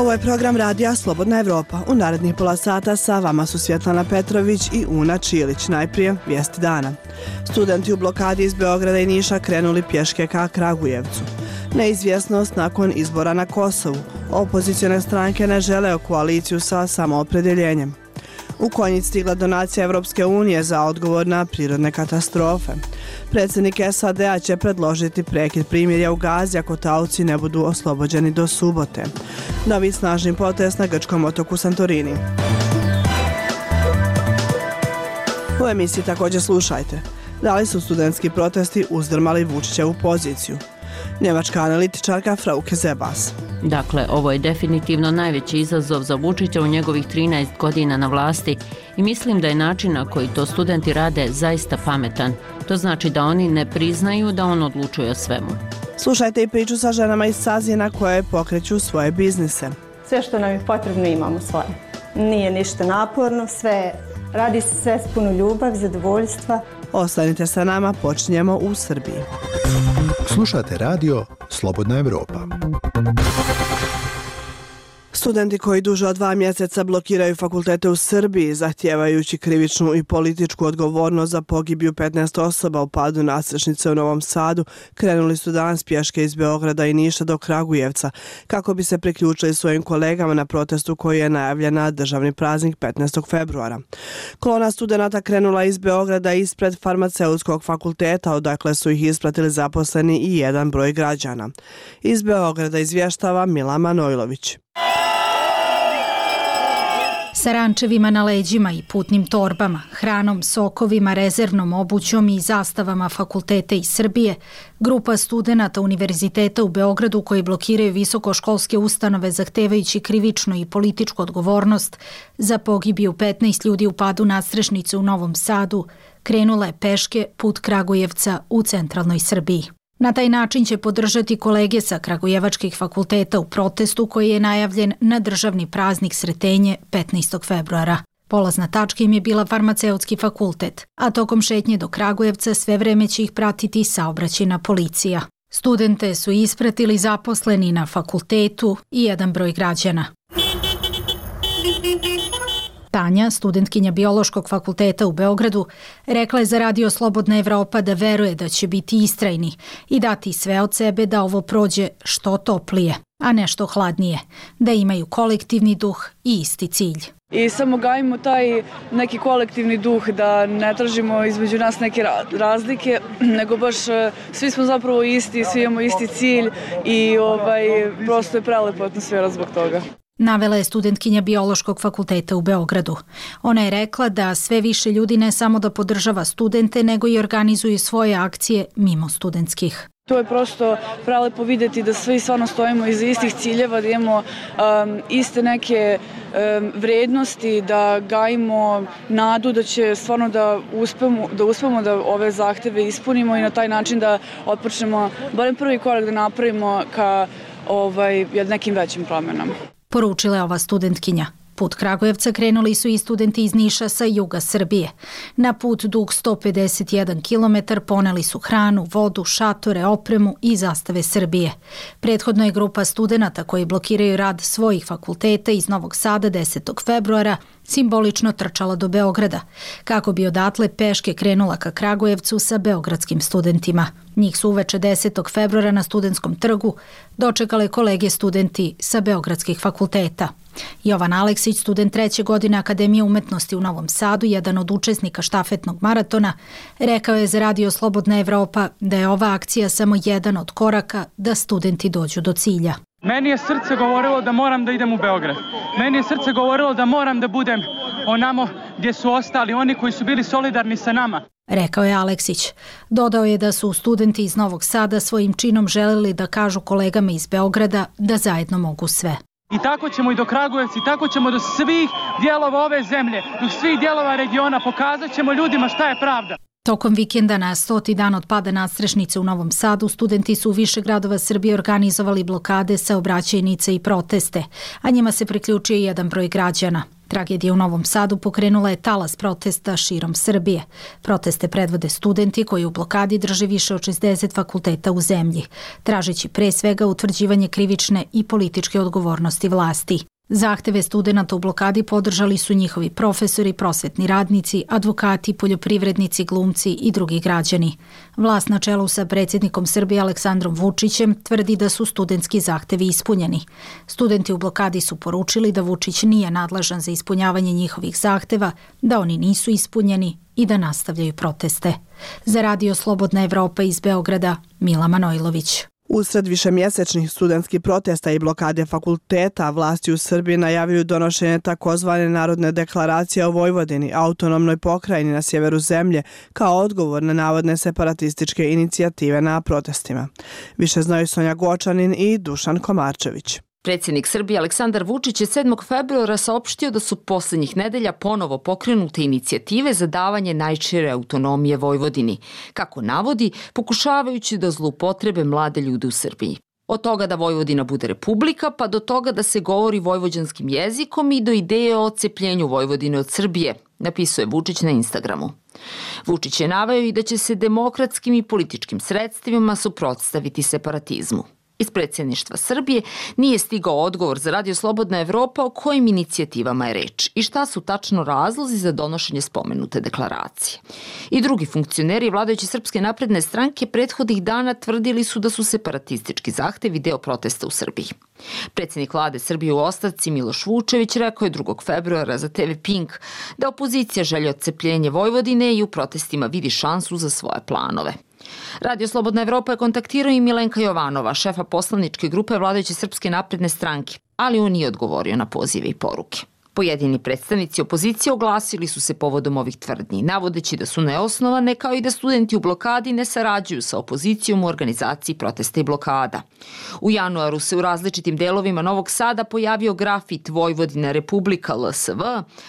Ovo je program radija Slobodna Evropa. U narednih pola sata sa vama su Svjetlana Petrović i Una Čilić. Najprije vijesti dana. Studenti u blokadi iz Beograda i Niša krenuli pješke ka Kragujevcu. Neizvjesnost nakon izbora na Kosovu. Opozicione stranke ne žele koaliciju sa samoopredjeljenjem. U Konjic stigla donacija Evropske unije za odgovor na prirodne katastrofe. Predsjednik SAD-a će predložiti prekid primirja u Gazi ako taoci ne budu oslobođeni do subote. Novi snažni potres na grčkom otoku Santorini. U emisiji također slušajte. Da li su studentski protesti uzdrmali Vučićevu poziciju? Njemačka analitičarka Frauke Zebas. Dakle, ovo je definitivno najveći izazov za Vučića u njegovih 13 godina na vlasti i mislim da je način na koji to studenti rade zaista pametan. To znači da oni ne priznaju da on odlučuje o svemu. Slušajte i priču sa ženama iz Sazina koje pokreću svoje biznise. Sve što nam je potrebno imamo svoje. Nije ništa naporno, radi se sve s puno ljubav, zadovoljstva. Ostanite sa nama, počinjemo u Srbiji. Slušate radio Slobodna Evropa. Studenti koji duže od 2 mjeseca blokiraju fakultete u Srbiji, zahtijevajući krivičnu i političku odgovornost za pogibiju 15 osoba u padu nadstrešnice u Novom Sadu, krenuli su danas pješke iz Beograda i Niša do Kragujevca, kako bi se priključili svojim kolegama na protestu koji je najavljen na državni praznik 15. februara. Kolona studenata krenula iz Beograda ispred farmaceutskog fakulteta, odakle su ih ispratili zaposleni i jedan broj građana. Iz Beograda izvještava Mila Manojlović. Sa rančevima na leđima i putnim torbama, hranom, sokovima, rezervnom obućom i zastavama fakulteta iz Srbije, grupa studenata Univerziteta u Beogradu koji blokiraju visokoškolske ustanove zahtevajući krivičnu i političku odgovornost za pogibiju 15 ljudi u padu nadstrešnice u Novom Sadu, krenula je peške put Kragujevca u centralnoj Srbiji. Na taj način će podržati kolege sa kragujevačkih fakulteta u protestu koji je najavljen na državni praznik Sretenje 15. februara. Polazna tačka im je bila farmaceutski fakultet, a tokom šetnje do Kragujevca sve vreme će ih pratiti saobraćajna policija. Studente su ispratili zaposleni na fakultetu i jedan broj građana. Tanja, studentkinja Biološkog fakulteta u Beogradu, rekla je za radio Slobodna Evropa da veruje da će biti istrajni i dati sve od sebe da ovo prođe što toplije, a ne što hladnije, da imaju kolektivni duh i isti cilj. I samo gajimo taj neki kolektivni duh, da ne tražimo između nas neke razlike, nego baš svi smo zapravo isti, svi imamo isti cilj i prosto je prelepa atmosfera zbog toga. Navela je studentkinja Biološkog fakulteta u Beogradu. Ona je rekla da sve više ljudi ne samo da podržava studente, nego i organizuju svoje akcije mimo studentskih. To je prosto prelepo vidjeti da svi stvarno stojimo iza istih ciljeva, da imamo iste neke vrednosti, da gajimo nadu da će stvarno da uspemo da ove zahteve ispunimo i na taj način da otpočnemo barem prvi korak da napravimo ka nekim većim promjenama. Poručila je ova studentkinja. Put Kragujevca krenuli su i studenti iz Niša sa juga Srbije. Na put dug 151 km poneli su hranu, vodu, šatore, opremu i zastave Srbije. Prethodno je grupa studenata koji blokiraju rad svojih fakulteta iz Novog Sada 10. februara simbolično trčala do Beograda, kako bi odatle peške krenula ka Kragujevcu sa beogradskim studentima. Njih su uveče 10. februara na Studentskom trgu dočekale kolege studenti sa beogradskih fakulteta. Jovan Aleksić, student 3. godine Akademije umetnosti u Novom Sadu, jedan od učesnika štafetnog maratona, rekao je za radio Slobodna Evropa da je ova akcija samo jedan od koraka da studenti dođu do cilja. Meni je srce govorilo da moram da idem u Beograd. Meni je srce govorilo da moram da budem onamo gdje su ostali oni koji su bili solidarni sa nama. Rekao je Aleksić. Dodao je da su studenti iz Novog Sada svojim činom želeli da kažu kolegama iz Beograda da zajedno mogu sve. I tako ćemo i do Kragujevca, i tako ćemo do svih dijelova ove zemlje, do svih dijelova regiona, pokazat ćemo ljudima šta je pravda. Tokom vikenda na 100. dan od pada nadstrešnice u Novom Sadu, studenti su u više gradova Srbije organizovali blokade, saobraćajnice i proteste, a njima se priključio i jedan broj građana. Tragedija u Novom Sadu pokrenula je talas protesta širom Srbije. Proteste predvode studenti koji u blokadi drže više od 60 fakulteta u zemlji, tražeći pre svega utvrđivanje krivične i političke odgovornosti vlasti. Zahteve studenata u blokadi podržali su njihovi profesori, prosvetni radnici, advokati, poljoprivrednici, glumci i drugi građani. Vlast na čelu sa predsjednikom Srbije Aleksandrom Vučićem tvrdi da su studentski zahtevi ispunjeni. Studenti u blokadi su poručili da Vučić nije nadležan za ispunjavanje njihovih zahteva, da oni nisu ispunjeni i da nastavljaju proteste. Za Radio Slobodna Evropa iz Beograda, Mila Manojlović. Usred višemjesečnih studentskih protesta i blokade fakulteta, vlasti u Srbiji najavljuju donošenje takozvane Narodne deklaracije o Vojvodini, autonomnoj pokrajini na sjeveru zemlje, kao odgovor na navodne separatističke inicijative na protestima. Više znaju Sonja Gočanin i Dušan Komarčević. Predsjednik Srbije Aleksandar Vučić je 7. februara saopštio da su posljednjih nedelja ponovo pokrenute inicijative za davanje najšire autonomije Vojvodini, kako navodi, pokušavajući da zloupotrebe mlade ljude u Srbiji. Od toga da Vojvodina bude republika, pa do toga da se govori vojvođanskim jezikom i do ideje o odcepljenju Vojvodine od Srbije, napisuje Vučić na Instagramu. Vučić je naveo i da će se demokratskim i političkim sredstvima suprotstaviti separatizmu. Iz predsjedništva Srbije nije stigao odgovor za Radio Slobodna Evropa o kojim inicijativama je reč i šta su tačno razlozi za donošenje spomenute deklaracije. I drugi funkcioneri vladajuće Srpske napredne stranke prethodnih dana tvrdili su da su separatistički zahtevi deo protesta u Srbiji. Predsjednik vlade Srbije u ostavci Miloš Vučević rekao je 2. februara za TV Pink da opozicija želi odcepljenje Vojvodine i u protestima vidi šansu za svoje planove. Radio Slobodna Evropa je kontaktirao i Milenka Jovanova, šefa poslaničke grupe vladajuće Srpske napredne stranke, ali on nije odgovorio na pozive i poruke. Pojedini predstavnici opozicije oglasili su se povodom ovih tvrdnji, navodeći da su neosnovane, kao i da studenti u blokadi ne sarađuju sa opozicijom u organizaciji protesta i blokada. U januaru se u različitim delovima Novog Sada pojavio grafit Vojvodina Republika LSV,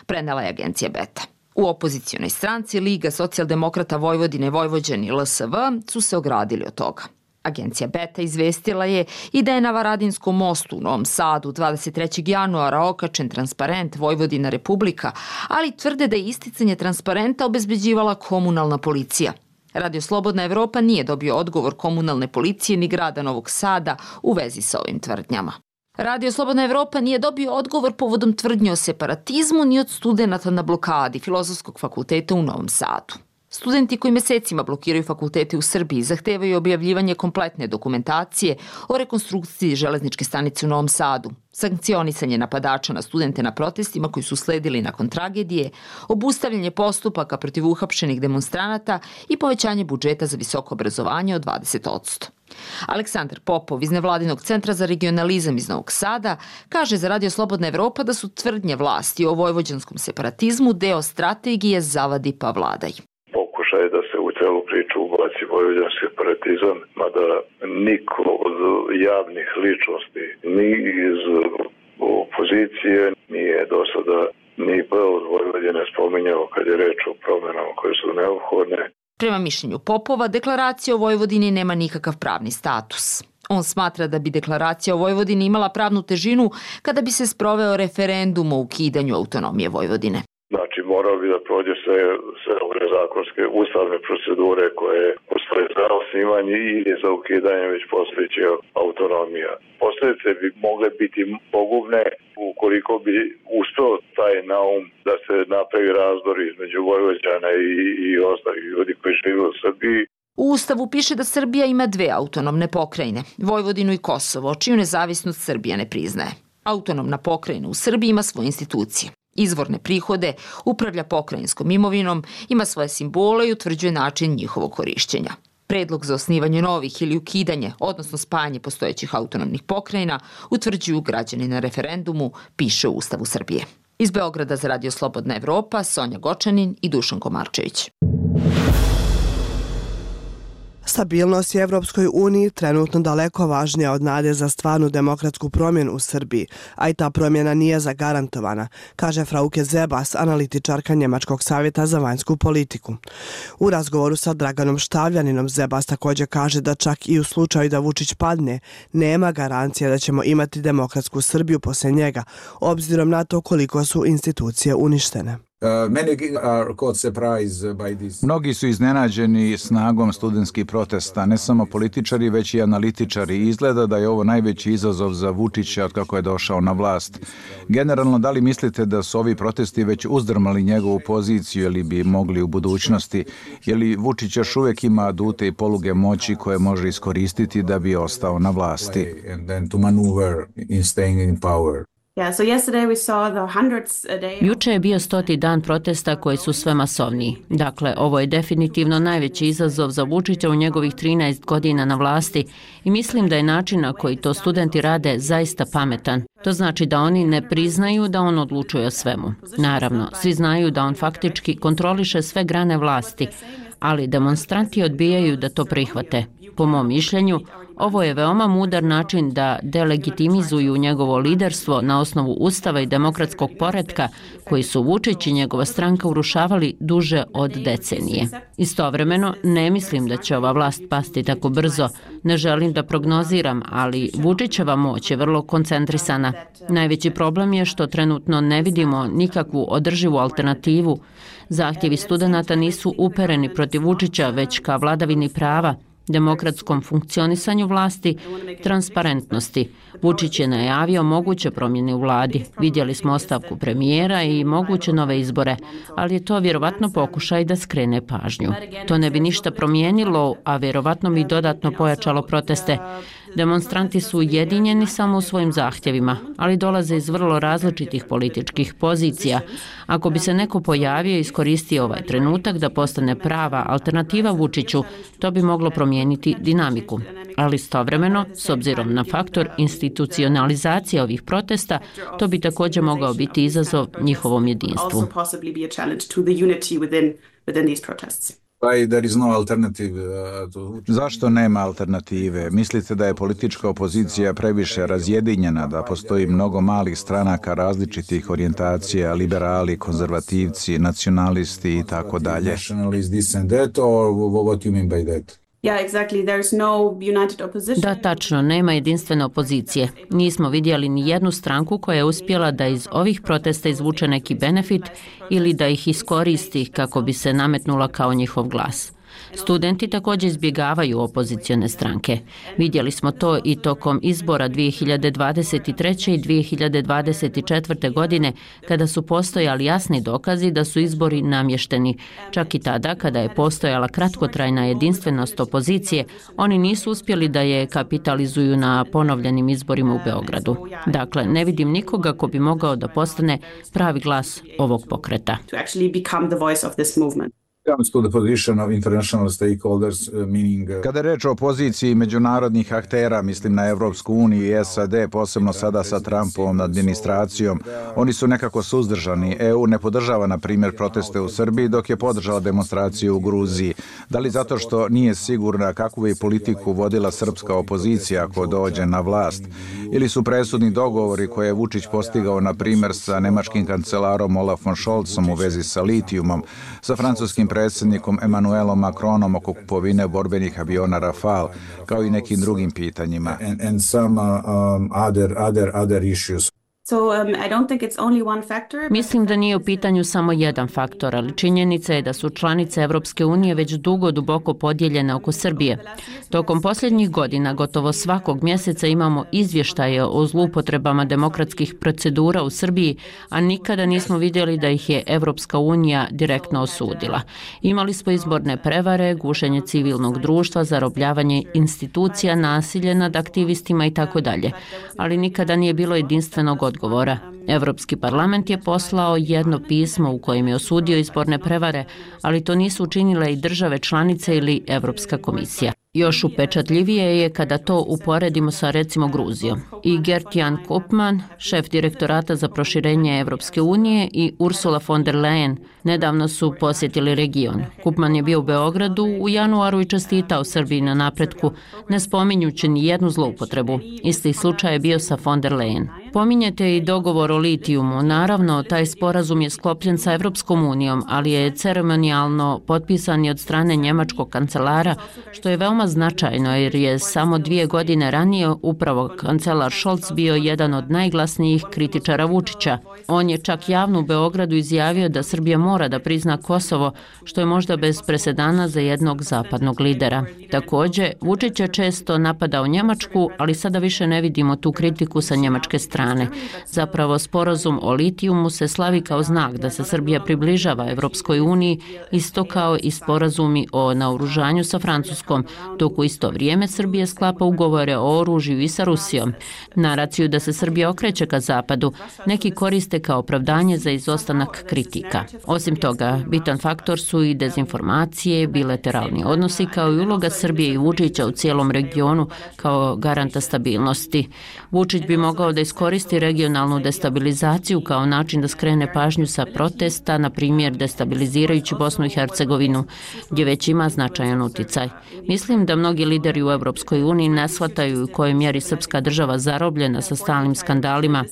prenela je agencija Beta. U opozicionoj stranci Liga socijaldemokrata Vojvodine Vojvođani LSV su se ogradili od toga. Agencija Beta izvestila je i da je na Varadinskom mostu u Novom Sadu 23. januara okačen transparent Vojvodina Republika, ali tvrde da je isticanje transparenta obezbeđivala komunalna policija. Radio Slobodna Evropa nije dobio odgovor komunalne policije ni grada Novog Sada u vezi sa ovim tvrdnjama. Radio Slobodna Evropa nije dobio odgovor povodom tvrdnje o separatizmu ni od studenata na blokadi Filozofskog fakulteta u Novom Sadu. Studenti koji mesecima blokiraju fakultete u Srbiji zahtevaju objavljivanje kompletne dokumentacije o rekonstrukciji železničke stanice u Novom Sadu, sankcionisanje napadača na studente na protestima koji su sledili nakon tragedije, obustavljanje postupaka protiv uhapšenih demonstranata i povećanje budžeta za visoko obrazovanje od 20%. Aleksandar Popov iz Nevladinog centra za regionalizam iz Novog Sada kaže za Radio Slobodna Evropa da su tvrdnje vlasti o vojvođanskom separatizmu deo strategije zavadi pa vladaj. Pokušaj da se u celu priču ubaci vojvođanski separatizam, mada niko od javnih ličnosti ni iz opozicije nije do sada ni od Vojvodine spominjao kad je reč o promjenama koje su neophodne. Prema mišljenju Popova, deklaracija o Vojvodini nema nikakav pravni status. On smatra da bi deklaracija o Vojvodini imala pravnu težinu kada bi se sproveo referendum o ukidanju autonomije Vojvodine. Znači, morao bi da prođe sve ove zakonske ustavne procedure koje postoje za osnivanje i za ukidanje već postojeće autonomija. Posljedice bi mogle biti pogubne ukoliko bi uspeo taj naum da se napravi razdor između Vojvođana i ostalih ljudi koji žive u Srbiji. U Ustavu piše da Srbija ima dve autonomne pokrajine, Vojvodinu i Kosovo, čiju nezavisnost Srbija ne priznaje. Autonomna pokrajina u Srbiji ima svoje institucije. Izvorne prihode, upravlja pokrajinskom imovinom, ima svoje simbole i utvrđuje način njihovog korišćenja. Predlog za osnivanje novih ili ukidanje, odnosno spajanje postojećih autonomnih pokrajina, utvrđuju građani na referendumu, piše u Ustavu Srbije. Iz Beograda za Radio Slobodna Evropa, Sonja Gočanin i Dušan Komarčević. Stabilnost je Evropskoj uniji trenutno daleko važnija od nade za stvarnu demokratsku promjenu u Srbiji, a i ta promjena nije zagarantovana, kaže Frauke Zebas, analitičarka Njemačkog savjeta za vanjsku politiku. U razgovoru sa Draganom Štavljaninom Zebas također kaže da čak i u slučaju da Vučić padne, nema garancije da ćemo imati demokratsku Srbiju poslije njega, obzirom na to koliko su institucije uništene. Mnogi su iznenađeni snagom studentskih protesta, ne samo političari, već i analitičari. Izgleda da je ovo najveći izazov za Vučića od kako je došao na vlast. Generalno, da li mislite da su ovi protesti već uzdrmali njegovu poziciju ili bi mogli u budućnosti? Je li Vučić još uvijek ima adute i poluge moći koje može iskoristiti da bi ostao na vlasti? Juče je bio 100. dan protesta koji su sve masovniji. Dakle, ovo je definitivno najveći izazov za Vučića u njegovih 13 godina na vlasti i mislim da je način na koji to studenti rade zaista pametan. To znači da oni ne priznaju da on odlučuje o svemu. Naravno, svi znaju da on faktički kontroliše sve grane vlasti, ali demonstranti odbijaju da to prihvate. Po mom mišljenju, ovo je veoma mudar način da delegitimizuju njegovo liderstvo na osnovu ustava i demokratskog poretka koji su Vučić i njegova stranka urušavali duže od decenije. Istovremeno, ne mislim da će ova vlast pasti tako brzo. Ne želim da prognoziram, ali Vučićeva moć je vrlo koncentrisana. Najveći problem je što trenutno ne vidimo nikakvu održivu alternativu. Zahtjevi studenata nisu upereni protiv Vučića, već ka vladavini prava, demokratskom funkcionisanju vlasti, transparentnosti. Vučić je najavio moguće promjene u vladi. Vidjeli smo ostavku premijera i moguće nove izbore, ali je to vjerovatno pokušaj da skrene pažnju. To ne bi ništa promijenilo, a vjerovatno bi dodatno pojačalo proteste. Demonstranti su ujedinjeni samo u svojim zahtjevima, ali dolaze iz vrlo različitih političkih pozicija. Ako bi se neko pojavio i iskoristio ovaj trenutak da postane prava alternativa Vučiću, to bi moglo promijeniti dinamiku. Ali istovremeno, s obzirom na faktor institucionalizacije ovih protesta, to bi također mogao biti izazov njihovom jedinstvu. Zašto nema alternative? Mislite da je politička opozicija previše razjedinjena, da postoji mnogo malih stranaka različitih orijentacija, liberali, konzervativci, nacionalisti i tako dalje? Da, tačno, nema jedinstvene opozicije. Nismo vidjeli ni jednu stranku koja je uspjela da iz ovih protesta izvuče neki benefit ili da ih iskoristi kako bi se nametnula kao njihov glas. Studenti također izbjegavaju opozicione stranke. Vidjeli smo to i tokom izbora 2023. i 2024. godine kada su postojali jasni dokazi da su izbori namješteni. Čak i tada kada je postojala kratkotrajna jedinstvenost opozicije, oni nisu uspjeli da je kapitalizuju na ponovljenim izborima u Beogradu. Dakle, ne vidim nikoga ko bi mogao da postane pravi glas ovog pokreta. Kada je reč o poziciji međunarodnih aktera, mislim na Evropsku uniju i SAD, posebno sada sa Trumpovom administracijom, oni su nekako suzdržani. EU ne podržava, na primjer, proteste u Srbiji, dok je podržala demonstraciju u Gruziji. Da li zato što nije sigurna kakvu je politiku vodila srpska opozicija ako dođe na vlast? Ili su presudni dogovori koje je Vučić postigao, na primjer, sa nemačkim kancelarom Olafom Scholzom u vezi sa litijumom, sa francuskim predsjednikom Emmanuelom Macronom oko kupovine borbenih aviona Rafale, kao i nekim drugim pitanjima. Mislim da nije u pitanju samo jedan faktor, ali činjenica je da su članice Evropske unije već dugo duboko podijeljene oko Srbije. Tokom posljednjih godina gotovo svakog mjeseca imamo izvještaje o zloupotrebama demokratskih procedura u Srbiji, a nikada nismo vidjeli da ih je Evropska unija direktno osudila. Imali smo izborne prevare, gušenje civilnog društva, zarobljavanje institucija, nasilje nad aktivistima i tako dalje, ali nikada nije bilo jedinstvenog odgovora. Evropski parlament je poslao jedno pismo u kojem je osudio izborne prevare, ali to nisu učinile i države članice ili Evropska komisija. Još upečatljivije je kada to uporedimo sa recimo Gruzijom. I Gert-Jan Koopman, šef direktorata za proširenje Evropske unije, i Ursula von der Leyen nedavno su posjetili region. Koopman je bio u Beogradu u januaru i čestitao Srbiji na napretku, ne spominjući ni jednu zloupotrebu. Isti slučaj je bio sa von der Leyen. Pominjete i dogovor o litijumu. Naravno, taj sporazum je sklopljen sa Evropskom unijom, ali je ceremonijalno potpisan i od strane njemačkog kancelara, što je veoma značajno jer je samo 2 godine ranije upravo kancelar Scholz bio jedan od najglasnijih kritičara Vučića. On je čak javno u Beogradu izjavio da Srbija mora da prizna Kosovo, što je možda bez presedana za jednog zapadnog lidera. Također, Vučić je često napadao Njemačku, ali sada više ne vidimo tu kritiku sa njemačke strane. Zapravo, sporazum o litijumu se slavi kao znak da se Srbija približava Evropskoj uniji, isto kao i sporazumi o naoružanju sa Francuskom, dok u isto vrijeme Srbija sklapa ugovore o oružju i sa Rusijom. Naraciju da se Srbija okreće ka zapadu neki koriste kao opravdanje za izostanak kritika. Osim toga, bitan faktor su i dezinformacije, bilateralni odnosi kao i uloga Srbije i Vučića u cijelom regionu kao garanta stabilnosti. Vučić bi mogao da iskoristi regionalnu destabilizaciju kao način da skrene pažnju sa protesta, na primjer destabilizirajući Bosnu i Hercegovinu, gdje već ima značajan uticaj. Mislim da mnogi lideri u Evropskoj uniji ne shvataju u kojoj mjeri srpska država zarobljena sa stalnim skandalima.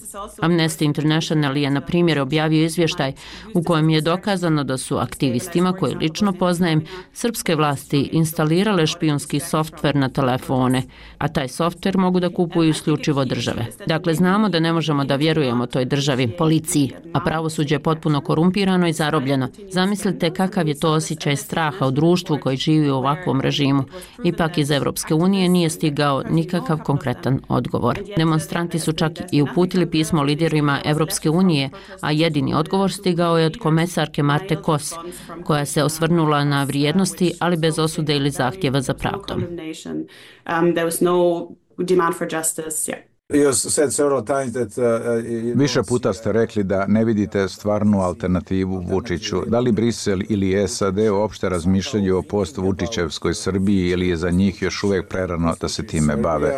Amnesty International je, na primjer, objavio izvještaj u kojem je dokazano da su aktivistima, koje lično poznajem, srpske vlasti instalirale špijunski softver na telefone, a taj softver mogu da kupuju isključivo države. Dakle, znamo da ne možemo da vjerujemo toj državi, policiji, a pravosuđe je potpuno korumpirano i zarobljeno. Zamislite kakav je to osjećaj straha u društvu koji živi u ovakvom režimu. Ipak iz Evropske unije nije stigao nikakav konkretan odgovor. Demonstranti su čak i uputili pismo liderima Evropske unije, a jedini odgovor stigao je od komesarke Marte Kos, koja se osvrnula na vrijednosti, ali bez osude ili zahtjeva za pravdom. Više puta ste rekli da ne vidite stvarnu alternativu Vučiću. Da li Brisel ili SAD uopšte razmišljaju o post-Vučićevskoj Srbiji ili je za njih još uvijek prerano da se time bave?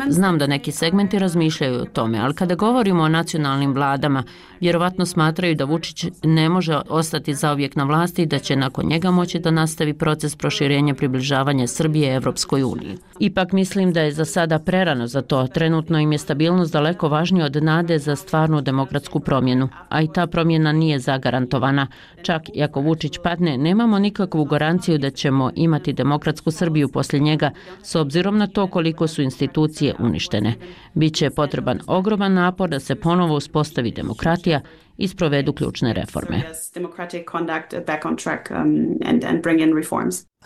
Znam da neki segmenti razmišljaju o tome, ali kada govorimo o nacionalnim vladama, vjerovatno smatraju da Vučić ne može ostati zauvijek na vlasti i da će nakon njega moći da nastavi proces proširenja približavanja Srbije Evropskoj uniji. Ipak mislim da je za sada prerano za to. Trenutno im je stabilnost daleko važnija od nade za stvarnu demokratsku promjenu, a i ta promjena nije zagarantovana. Čak i ako Vučić padne, nemamo nikakvu garanciju da ćemo imati demokratsku Srbiju poslije njega, s obzirom na to koliko su institucije uništene. Biće potreban ogroman napor da se ponovo uspostavi demokratija i sprovedu ključne reforme.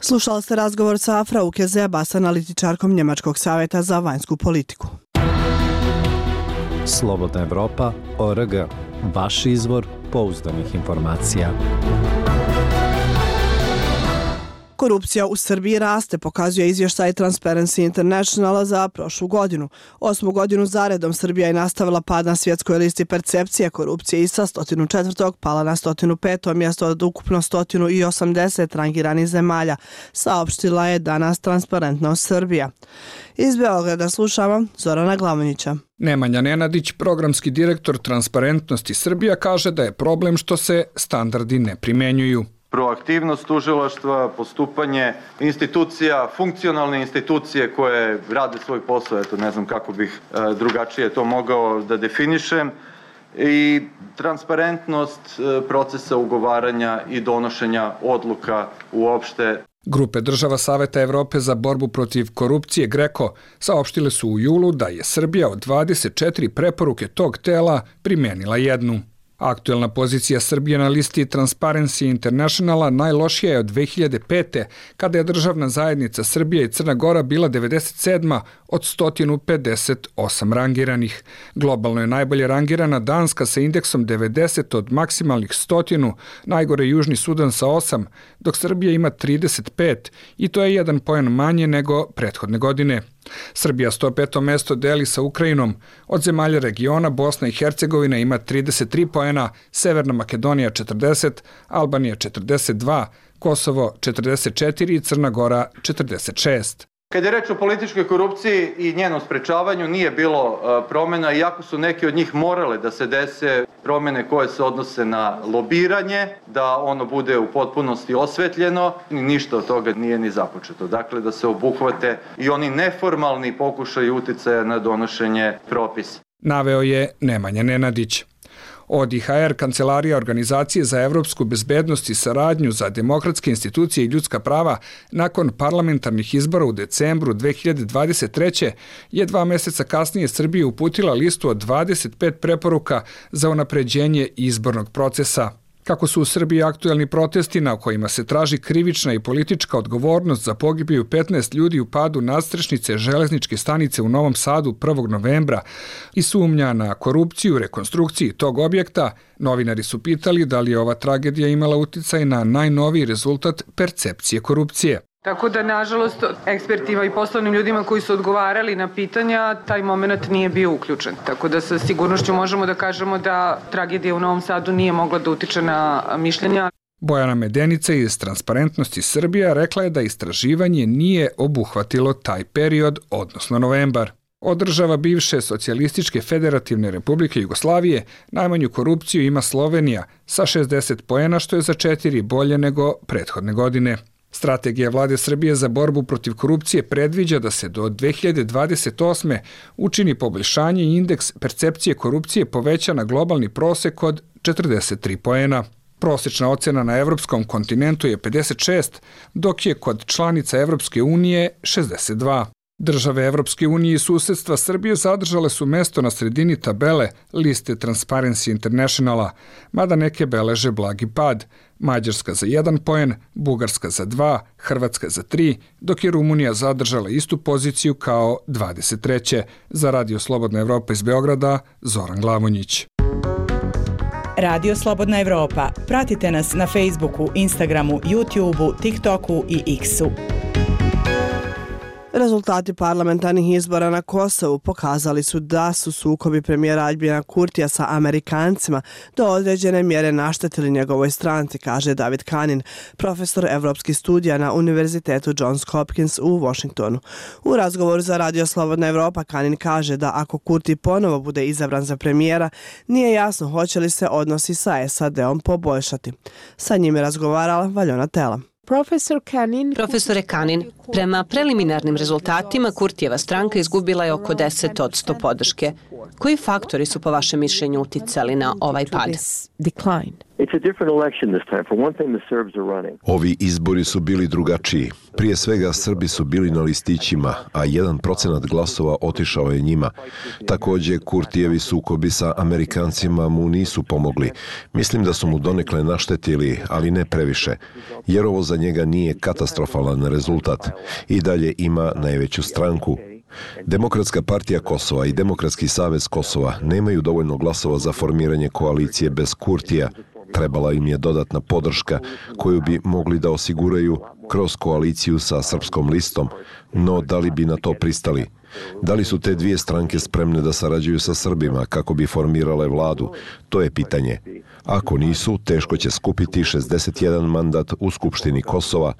Slušali ste razgovor sa Afra Ukezeba, s analitičarkom Njemačkog savjeta za vanjsku politiku. Slobodna Evropa.org. Vaš izvor pouzdanih informacija. Korupcija u Srbiji raste, pokazuje izvještaj Transparency Internationala za prošlu godinu. 8. godinu zaredom Srbija je nastavila pad na svjetskoj listi percepcije korupcije i sa 104. pala na 105. mjesto od ukupno 180 rangiranih zemalja, saopštila je danas Transparentnost Srbija. Iz Beograda slušamo Zorana Glavonjića. Nemanja Nenadić, programski direktor Transparentnosti Srbija, kaže da je problem što se standardi ne primenjuju. Proaktivnost tužilaštva, postupanje institucija, funkcionalne institucije koje rade svoj posao, eto ne znam kako bih drugačije to mogao da definišem, i transparentnost procesa ugovaranja i donošenja odluka uopšte. Grupe država Saveta Evrope za borbu protiv korupcije GRECO saopštile su u julu da je Srbija od 24 preporuke tog tela primenila jednu. Aktuelna pozicija Srbije na listi Transparency Internationala najlošija je od 2005. kada je državna zajednica Srbija i Crna Gora bila 97. od 158 rangiranih. Globalno je najbolje rangirana Danska sa indeksom 90 od maksimalnih 100, najgore Južni Sudan sa 8, dok Srbija ima 35 i to je 1 poen manje nego prethodne godine. Srbija 105. mesto deli sa Ukrajinom. Od zemalja regiona Bosna i Hercegovina ima 33 poena, Severna Makedonija 40, Albanija 42, Kosovo 44 i Crna Gora 46. Kad je reč o političkoj korupciji i njenom sprečavanju, nije bilo promjena, iako su neki od njih morale da se dese promjene koje se odnose na lobiranje, da ono bude u potpunosti osvetljeno, ništa od toga nije ni započeto. Dakle, da se obuhvate i oni neformalni pokušaj uticaja na donošenje propisa. Naveo je Nemanja Nenadić. ODIHR, Kancelarija Organizacije za evropsku bezbednost i saradnju za demokratske institucije i ljudska prava, nakon parlamentarnih izbora u decembru 2023. je 2 meseca kasnije Srbiji uputila listu od 25 preporuka za unapređenje izbornog procesa. Kako su u Srbiji aktuelni protesti na kojima se traži krivična i politička odgovornost za pogibiju 15 ljudi u padu nadstrešnice železničke stanice u Novom Sadu 1. novembra i sumnja na korupciju u rekonstrukciji tog objekta, novinari su pitali da li je ova tragedija imala uticaj na najnoviji rezultat percepcije korupcije. Tako da, nažalost, ekspertima i poslovnim ljudima koji su odgovarali na pitanja, taj moment nije bio uključen. Tako da sa sigurnošću možemo da kažemo da tragedija u Novom Sadu nije mogla da utiče na mišljenja. Bojana Medenica iz Transparentnosti Srbija rekla je da istraživanje nije obuhvatilo taj period, odnosno novembar. Od država bivše Socijalističke federativne republike Jugoslavije najmanju korupciju ima Slovenija sa 60 poena, što je za 4 bolje nego prethodne godine. Strategija vlade Srbije za borbu protiv korupcije predviđa da se do 2028. učini poboljšanje i indeks percepcije korupcije poveća na globalni prosek od 43 poena. Prosečna ocena na evropskom kontinentu je 56, dok je kod članica Evropske unije 62. Države Evropske unije i susedstva Srbije zadržale su mesto na sredini tabele liste Transparency Internationala, mada neke beleže blagi pad. Mađarska za 1 poen, Bugarska za 2, Hrvatska za 3, dok je Rumunija zadržala istu poziciju kao 23. Za Radio Slobodna Evropa iz Beograda, Zoran Glavonjić. Radio Slobodna Evropa. Pratite nas na Facebooku, Instagramu, YouTubeu, TikToku i X-u. Rezultati parlamentarnih izbora na Kosovu pokazali su da su sukobi premijera Aljbina Kurtija sa Amerikancima do određene mjere naštetili njegovoj stranci, kaže David Kanin, profesor evropskih studija na Univerzitetu Johns Hopkins u Washingtonu. U razgovoru za Radio Slobodna Evropa Kanin kaže da ako Kurti ponovo bude izabran za premijera, nije jasno hoće li se odnosi sa SAD-om poboljšati. Sa njim je razgovarala Valjona Tela. Profesore Kanin, prema preliminarnim rezultatima Kurtijeva stranka izgubila je oko 10% podrške. Koji faktori su po vašem mišljenju uticali na ovaj pad? Ovi izbori su bili drugačiji. Prije svega Srbi su bili na listićima, a 1% glasova otišao je njima. Također Kurtijevi sukobi sa Amerikancima mu nisu pomogli. Mislim da su mu donekle naštetili, ali ne previše, jer ovo za njega nije katastrofalan rezultat. I dalje ima najveću stranku. Demokratska partija Kosova i Demokratski savez Kosova nemaju dovoljno glasova za formiranje koalicije bez Kurtija. Trebala im je dodatna podrška koju bi mogli da osiguraju kroz koaliciju sa Srpskom listom, no da li bi na to pristali? Da li su te dvije stranke spremne da sarađuju sa Srbima kako bi formirale vladu? To je pitanje. Ako nisu, teško će skupiti 61 mandat u Skupštini Kosova.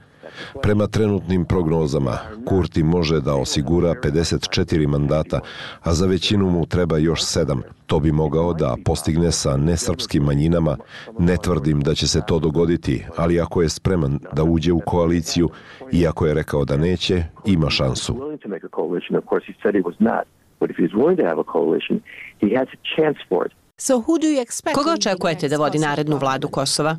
Prema trenutnim prognozama, Kurti može da osigura 54 mandata, a za većinu mu treba još 7. To bi mogao da postigne sa nesrpskim manjinama. Ne tvrdim da će se to dogoditi, ali ako je spreman da uđe u koaliciju, iako je rekao da neće, ima šansu. Koga očekujete da vodi narednu vladu Kosova?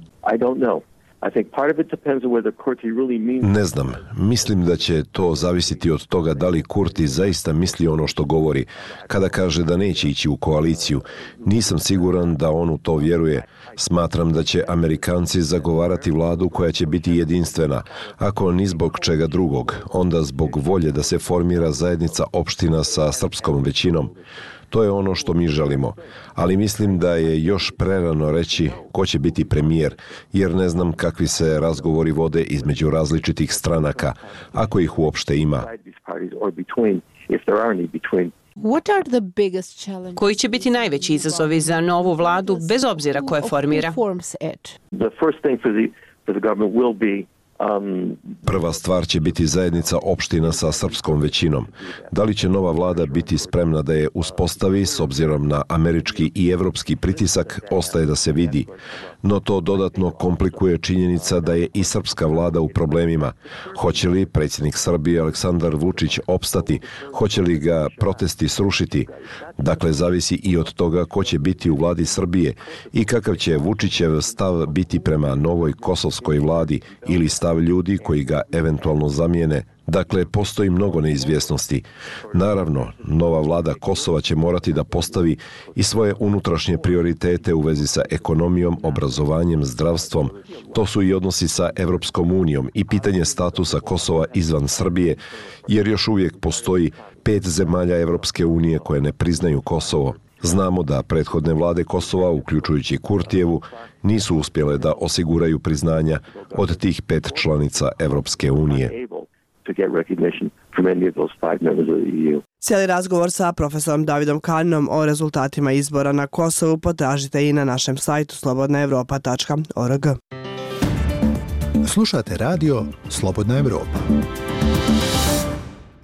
Ne znam. Mislim da će to zavisiti od toga da li Kurti zaista misli ono što govori. Kada kaže da neće ići u koaliciju, nisam siguran da on u to vjeruje. Smatram da će Amerikanci zagovarati vladu koja će biti jedinstvena. Ako ni zbog čega drugog, onda zbog volje da se formira zajednica opština sa srpskom većinom. To je ono što mi želimo, ali mislim da je još prerano reći ko će biti premijer, jer ne znam kakvi se razgovori vode između različitih stranaka, ako ih uopšte ima. Koji će biti najveći izazovi za novu vladu, bez obzira ko je formira? Prva stvar će biti zajednica opština sa srpskom većinom. Da li će nova vlada biti spremna da je uspostavi s obzirom na američki i evropski pritisak, ostaje da se vidi. No to dodatno komplikuje činjenica da je i srpska vlada u problemima. Hoće li predsjednik Srbije Aleksandar Vučić opstati? Hoće li ga protesti srušiti? Dakle, zavisi i od toga ko će biti u vladi Srbije i kakav će Vučićev stav biti prema novoj kosovskoj vladi ili stav ljudi koji ga eventualno zamijene. Dakle, postoji mnogo neizvjesnosti. Naravno, nova vlada Kosova će morati da postavi i svoje unutrašnje prioritete u vezi sa ekonomijom, obrazovanjem, zdravstvom. To su i odnosi sa Evropskom unijom i pitanje statusa Kosova izvan Srbije, jer još uvijek postoji 5 zemalja Evropske unije koje ne priznaju Kosovo. Znamo da prethodne vlade Kosova, uključujući Kurtijevu, nisu uspjele da osiguraju priznanja od tih 5 članica Evropske unije. Cijeli razgovor sa profesorom Davidom Kaninom o rezultatima izbora na Kosovu potražite i na našem sajtu slobodnaevropa.org. Slušate radio Slobodna Evropa.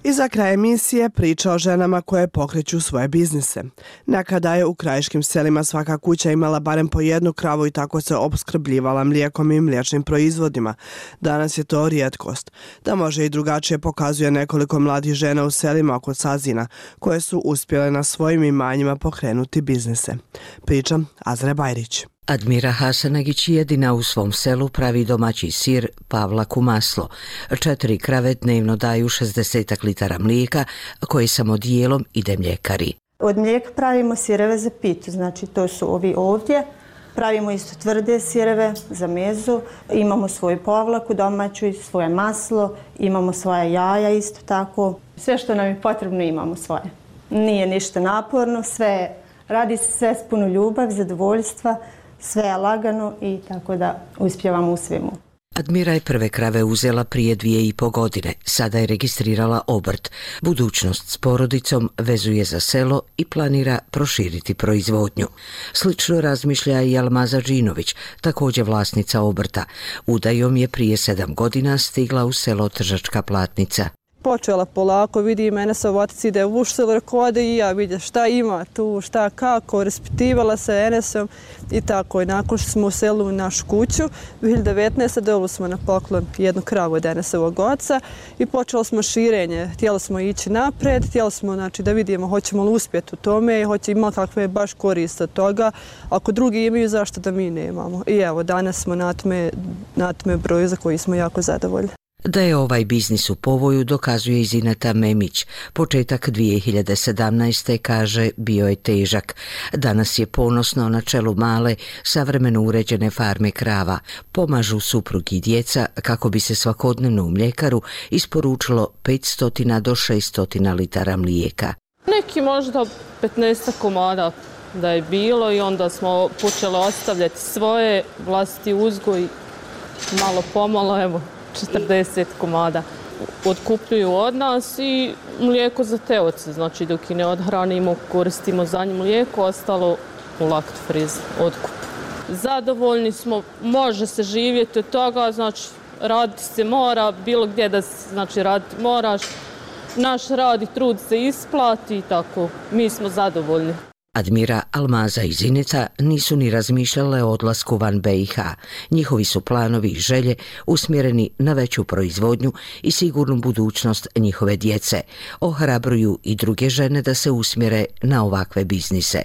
I za kraj emisije priča o ženama koje pokreću svoje biznise. Nekada je u krajiškim selima svaka kuća imala barem po jednu kravu i tako se opskrbljivala mlijekom i mliječnim proizvodima. Danas je to rijetkost. Da može i drugačije pokazuje nekoliko mladih žena u selima oko Sazina, koje su uspjele na svojim imanjima pokrenuti biznise. Priča Azra Bajrić. Admira Hasanagić jedina u svom selu pravi domaći sir Pavlak u maslo. 4 krave dnevno daju 60 litara mlijeka, koje samo dijelom ide mljekari. Od mlijeka pravimo sireve za pitu, znači to su ovi ovdje. Pravimo isto tvrde sireve za mezu, imamo svoju povlaku domaću i svoje maslo, imamo svoje jaja isto tako. Sve što nam je potrebno imamo svoje. Nije ništa naporno, radi se sve s puno ljubavi, zadovoljstva, sve je lagano i tako da uspjevamo u svemu. Admira je prve krave uzela prije 2,5 godine. Sada je registrirala obrt. Budućnost s porodicom vezuje za selo i planira proširiti proizvodnju. Slično razmišlja i Almaza Džinović, također vlasnica obrta. Udajom je prije 7 godina stigla u selo Tržačka Platnica. Počela polako, vidi mene sa otac ide u selo, rekao ode i ja vidjeti šta ima tu, šta kako, raspitivala se Enesom i tako. I nakon što smo uselili u našu kuću, 2019. dobili smo na poklon jednu kravu od Enesovog oca i počelo smo širenje. Htjeli smo ići napred, htjeli smo da vidimo hoćemo li uspjeti u tome i imali kakve baš koriste od toga. Ako drugi imaju, zašto da mi nemamo? I evo, danas smo na tome broju za koji smo jako zadovoljni. Da je ovaj biznis u povoju dokazuje i Zineta Memić. Početak 2017. kaže bio je težak. Danas je ponosno na čelu male, savremeno uređene farme krava. Pomažu suprug i djeca kako bi se svakodnevno u mljekaru isporučilo 500 do 600 litara mlijeka. Neki možda 15 komada da je bilo i onda smo počeli ostavljati svoje vlastiti uzgoj, malo pomalo, evo. 40 komada otkupljuju od nas i mlijeko za te oce, znači dok i ne odhranimo, koristimo za njih mlijeko, ostalo u Laktfriz otkup. Zadovoljni smo, može se živjeti od toga, znači raditi se mora, bilo gdje da znači raditi moraš, naš rad i trud se isplati i tako, mi smo zadovoljni. Admira, Almaza i Zinica nisu ni razmišljale o odlasku van BiH. Njihovi su planovi i želje usmjereni na veću proizvodnju i sigurnu budućnost njihove djece. Ohrabruju i druge žene da se usmjere na ovakve biznise.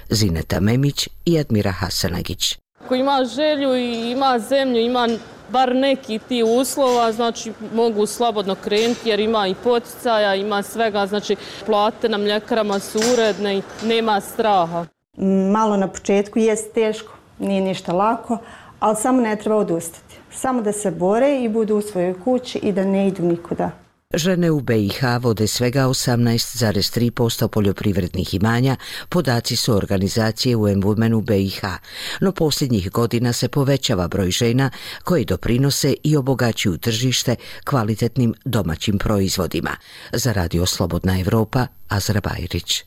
Zineta Memić i Admira Hasanagić. Ako ima želju i ima zemlju, ima bar neki ti uslova, znači mogu slobodno krenuti jer ima i poticaja, ima svega, znači plate na mljekarama su uredne i nema straha. Malo na početku jest teško, nije ništa lako, ali samo ne treba odustati. Samo da se bore i budu u svojoj kući i da ne idu nikuda. Žene u BiH vode svega 18,3% poljoprivrednih imanja, podaci su organizacije UN Women u BiH, no posljednjih godina se povećava broj žena koji doprinose i obogaćuju tržište kvalitetnim domaćim proizvodima. Za Radio Slobodna Evropa, Azra Bajrić.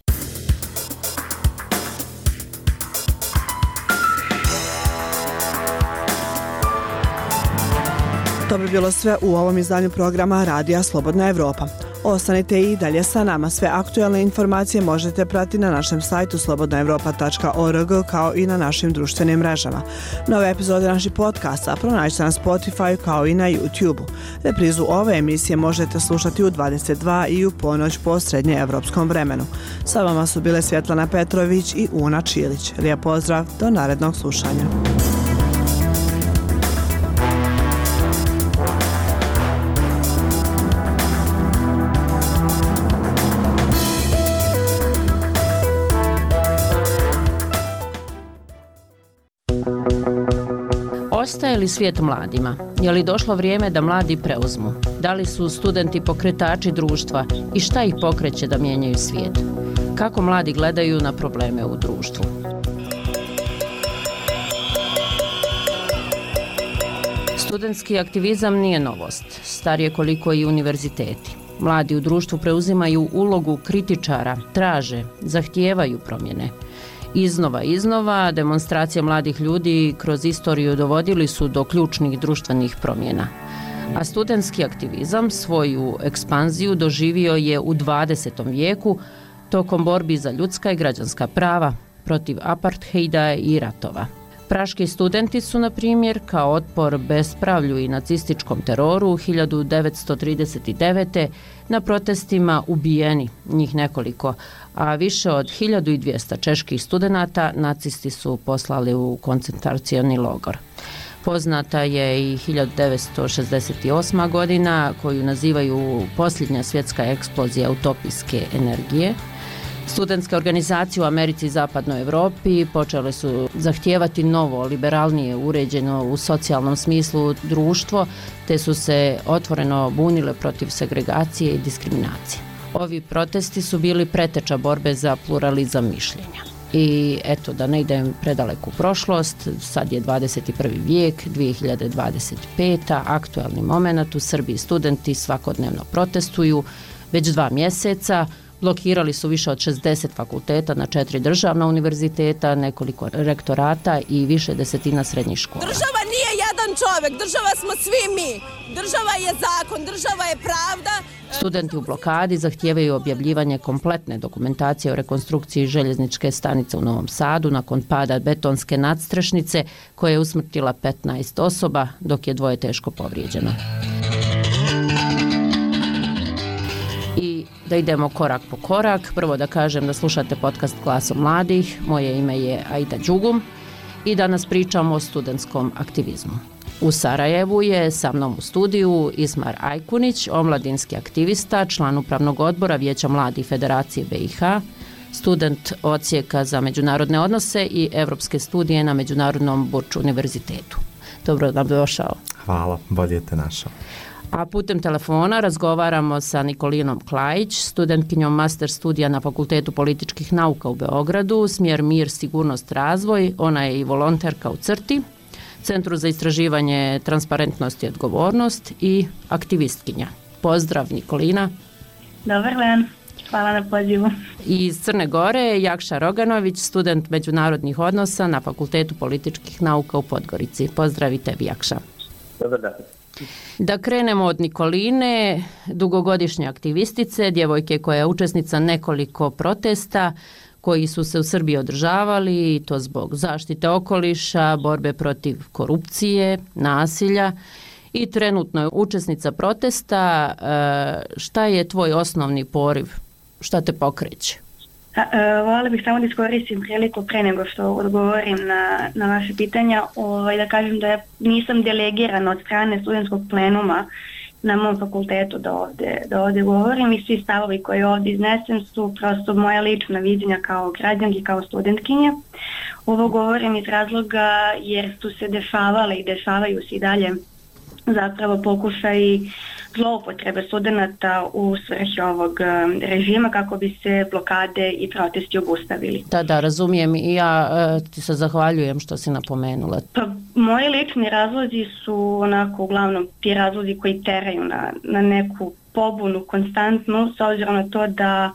To bi bilo sve u ovom izdanju programa Radija Slobodna Evropa. Ostanite i dalje sa nama. Sve aktualne informacije možete pratiti na našem sajtu slobodnaevropa.org kao i na našim društvenim mrežama. Nove epizode naših podcasta pronađite na Spotify kao i na YouTube-u. Reprizu ove emisije možete slušati u 22 i u ponoć po srednjeevropskom vremenu. Sa vama su bile Svjetlana Petrović i Una Čilić. Lijep pozdrav, do narednog slušanja. Ostaje li svijet mladima? Je li došlo vrijeme da mladi preuzmu? Da li su studenti pokretači društva i šta ih pokreće da mijenjaju svijet? Kako mladi gledaju na probleme u društvu? Studentski aktivizam nije novost, star je koliko i univerziteti. Mladi u društvu preuzimaju ulogu kritičara, traže, zahtijevaju promjene. Iznova, demonstracije mladih ljudi kroz istoriju dovodili su do ključnih društvenih promjena. A studentski aktivizam svoju ekspanziju doživio je u 20. vijeku tokom borbi za ljudska i građanska prava, protiv apartheida i ratova. Praški studenti su, na primjer, kao otpor bespravlju i nacističkom teroru 1939. na protestima ubijeni, njih nekoliko, a više od 1200 čeških studenata nacisti su poslali u koncentracioni logor. Poznata je i 1968. godina, koju nazivaju posljednja svjetska eksplozija utopijske energije. Studentske organizacije u Americi i Zapadnoj Evropi počele su zahtijevati novo, liberalnije, uređeno u socijalnom smislu društvo, te su se otvoreno bunile protiv segregacije i diskriminacije. Ovi protesti su bili preteča borbe za pluralizam mišljenja. I eto, da ne idem predaleku prošlost, sad je 21. vijek, 2025. Aktualni moment, u Srbiji studenti svakodnevno protestuju već 2 mjeseca. Blokirali su više od 60 fakulteta na 4 državna univerziteta, nekoliko rektorata i više desetina srednjih škola. Država nije jedan čovjek, država smo svi mi. Država je zakon, država je pravda. Studenti u blokadi zahtijevaju objavljivanje kompletne dokumentacije o rekonstrukciji željezničke stanice u Novom Sadu nakon pada betonske nadstrešnice koja je usmrtila 15 osoba, dok je 2 teško povrijeđeno. Da idemo korak po korak. Prvo da kažem da slušate podcast Glasom mladih. Moje ime je Aida Đugum i danas pričamo o studentskom aktivizmu. U Sarajevu je sa mnom u studiju Ismar Ajkunić, omladinski aktivista, član upravnog odbora Vijeća mladih Federacije BiH, student odsjeka za međunarodne odnose i evropske studije na Međunarodnom Burč univerzitetu. Dobro nam došao. Hvala, bolje te našao. A putem telefona razgovaramo sa Nikolinom Klajić, studentkinjom master studija na Fakultetu političkih nauka u Beogradu, smjer Mir, sigurnost, razvoj. Ona je i volonterka u CRTI, Centru za istraživanje transparentnosti i odgovornost i aktivistkinja. Pozdrav Nikolina. Dobar dan, hvala na pozivu. I iz Crne Gore Jakša Roganović, student međunarodnih odnosa na Fakultetu političkih nauka u Podgorici. Pozdrav i tebi, Jakša. Dobar dan. Da krenemo od Nikoline, dugogodišnje aktivistice, djevojke koja je učesnica nekoliko protesta koji su se u Srbiji održavali, i to zbog zaštite okoliša, borbe protiv korupcije, nasilja, i trenutno je učesnica protesta. Šta je tvoj osnovni poriv? Šta te pokreće? Voljela bih samo da iskoristim priliku pre nego što odgovorim na vaše pitanja, da kažem da nisam delegirana od strane studentskog plenuma na mom fakultetu da ovdje govorim, i svi stavovi koji ovdje iznesem su prosto moja lična viđenja kao građanki, kao studentkinje. Ovo govorim iz razloga jer su se dešavale i dešavaju se i dalje zapravo pokušaji zloupotrebe studenta u svrhi ovog režima kako bi se blokade i protesti obustavili. Da, razumijem i ja ti se zahvaljujem što si napomenula. Pa, moji lični razlozi su onako uglavnom ti razlozi koji teraju na neku pobunu konstantnu, s obzirom na to da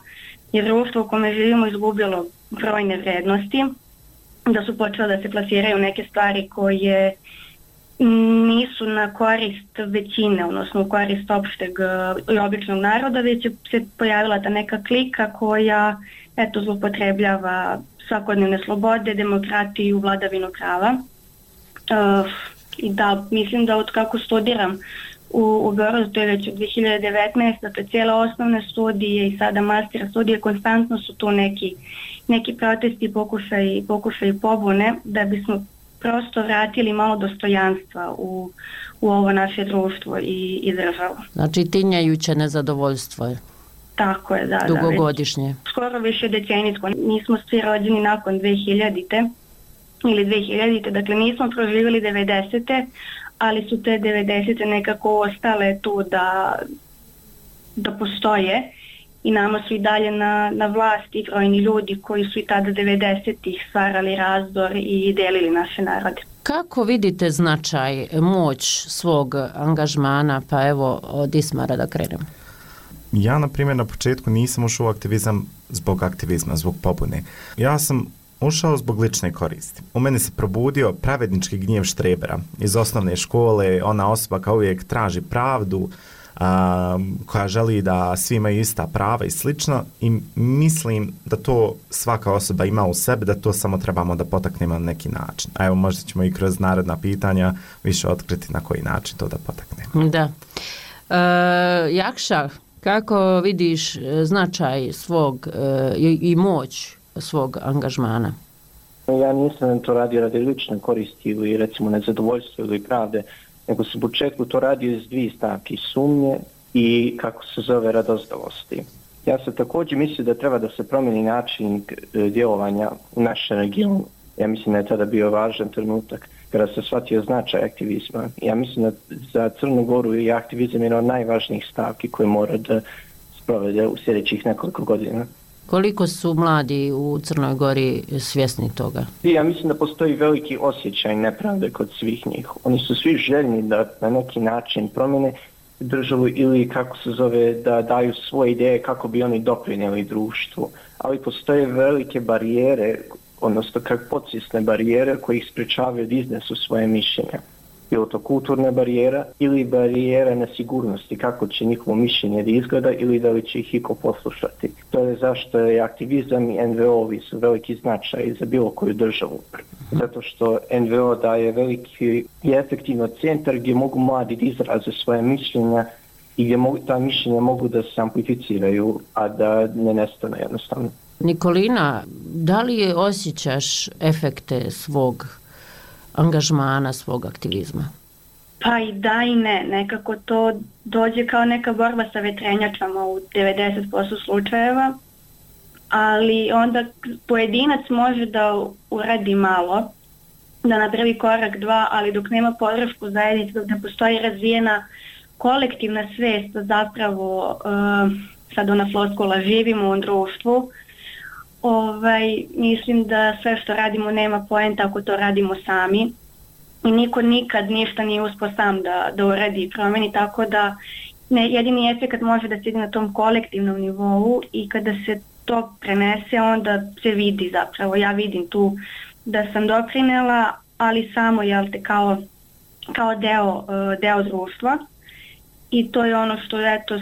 je društvo u kome živimo izgubilo brojne vrednosti, da su počele da se plasiraju neke stvari koje nisu na korist većine, odnosno u korist opšteg i običnog naroda, već se pojavila ta neka klika koja zloupotrebljava svakodnevne slobode, demokratiju, vladavinu prava. I da, mislim da od kako studiram u Beogradu, to je već od 2019, dakle cijele osnovne studije i sada master studije, konstantno su tu neki protesti, pokušaj pobune, da bismo prosto vratili malo dostojanstva u ovo naše društvo i državu. Znači tinjajuće nezadovoljstvo je. Tako je, da. Dugogodišnje. Skoro više decenijsko. Nismo svi rođeni nakon 2000-te ili 2000-te, dakle nismo proživjeli 90-te, ali su te 90-te nekako ostale tu da postoje i nama su i dalje na vlasti brojni ljudi koji su i tada 90-ih stvarali razdor i delili naše narode. Kako vidite značaj, moć svog angažmana, pa evo od Ismara da krenemo? Ja, na primjer, na početku nisam ušao u aktivizam zbog aktivizma, zbog pobune. Ja sam ušao zbog lične koristi. U meni se probudio pravednički gnjev štrebera iz osnovne škole, ona osoba kao uvijek traži pravdu, koja želi da svi imaju ista prava i slično, i mislim da to svaka osoba ima u sebi, da to samo trebamo da potaknemo na neki način. A evo, možda ćemo i kroz naredna pitanja više otkriti na koji način to da potaknemo. Da. Jakša, kako vidiš značaj svog i moć svog angažmana? Ja nisam to radio radi lične koristi ili recimo nezadovoljstva ili pravde, nego sam u početku to radio iz dvije stavke, sumnje i kako se zove radozdavosti. Ja sam također mislio da treba da se promijeni način djelovanja u našem regionu. Ja mislim da je tada bio važan trenutak kada se shvatio značaj aktivizma. Ja mislim da za Crnu Goru je aktivizam jedna od najvažnijih stavki koje mora da sprovede u sljedećih nekoliko godina. Koliko su mladi u Crnoj Gori svjesni toga? Ja mislim da postoji veliki osjećaj nepravde kod svih njih. Oni su svi željni da na neki način promjene državu ili kako se zove da daju svoje ideje kako bi oni doprinijeli društvu. Ali postoje velike barijere, odnosno kako podsvjesne barijere koje ih sprečavaju da iznesu svoje mišljenja. Bilo to kulturna barijera ili barijera nesigurnosti, kako će njihovo mišljenje da izgleda ili da li će ih iko poslušati. To je zašto je aktivizam i NVO-vi su veliki značaj za bilo koju državu. Zato što NVO daje veliki i efektivno centar gdje mogu mladi da izraze svoje mišljenja i gdje ta mišljenja mogu da se amplificiraju, a da ne nestane jednostavno. Nikolina, da li osjećaš efekte svog angažmana, svog aktivizma? Pa i da i ne. Nekako to dođe kao neka borba sa vetrenjačama u 90% slučajeva, ali onda pojedinac može da uradi malo, da napravi korak dva, ali dok nema podršku zajednice, dok ne postoji razvijena kolektivna svest, zapravo sad ona floskula živimo u društvu, mislim da sve što radimo nema poenta ako to radimo sami i niko nikad ništa nije uspio sam da uradi i promeni, tako da jedini efekt može da se ide na tom kolektivnom nivou i kada se to prenese onda se vidi zapravo. Ja vidim tu da sam doprinela, ali samo kao deo društva. I to je ono što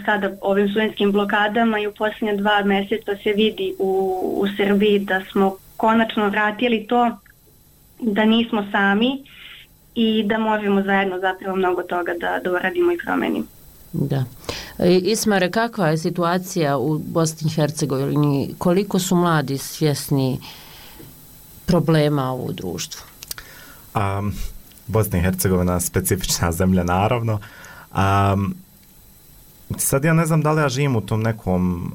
sada ovim studentskim blokadama i u posljednje 2 mjeseca se vidi u Srbiji da smo konačno vratili to da nismo sami i da možemo zajedno zapravo mnogo toga da uradimo i promenimo. Da. Ismare, kakva je situacija u Bosni i Hercegovini? Koliko su mladi svjesni problema u društvu? Bosna i Hercegovina je specifična zemlja, naravno. Sad ja ne znam da li ja živim u tom nekom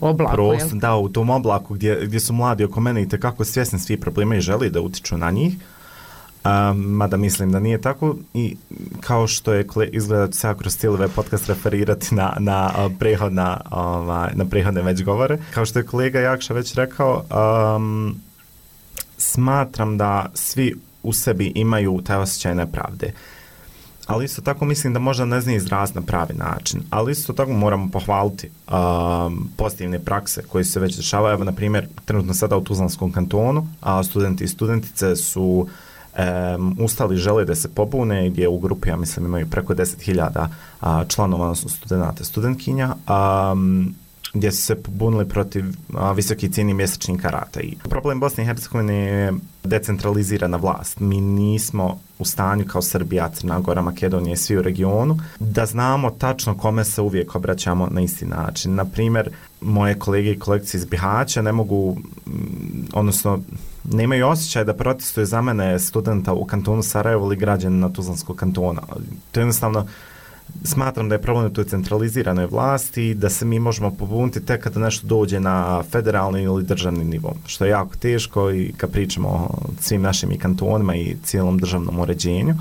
oblaku, u tom oblaku gdje su mladi oko mene i tekako svjesni svih problema i želi da utiču na njih. mada mislim da nije tako i kao što je izgleda se kroz cijeli ovaj podcast referirati na prethodne već govore. Kao što je kolega Jakša već rekao, smatram da svi u sebi imaju taj osjećaj nepravde. Ali isto tako mislim da možda ne zna izraziti na pravi način. Ali isto tako moramo pohvaliti pozitivne prakse koje se već dešavaju. Evo, na primjer, trenutno sada u Tuzlanskom kantonu, studenti i studentice su ustali, žele da se pobune, gdje u grupi, ja mislim, imaju preko 10.000 članova, odnosno studenta, studentkinja, gdje su se pobunili protiv visoki cijeni mjesečnih karata. I problem Bosne i Hercegovine je decentralizirana vlast. Mi nismo u stanju kao Srbija, Crna Gora, Makedonija i svi u regionu da znamo tačno kome se uvijek obraćamo na isti način. Na primjer, moje kolege i kolegice iz Bihaća ne mogu, odnosno nemaju osjećaj da protestuju za mene studenta u kantonu Sarajevo ili građanina Tuzlanskog kantona. To je jednostavno, smatram da je problem u toj centraliziranoj vlasti, da se mi možemo pobuniti tek kada nešto dođe na federalni ili državni nivo, što je jako teško i kad pričamo o svim našim i kantonima i cijelom državnom uređenju.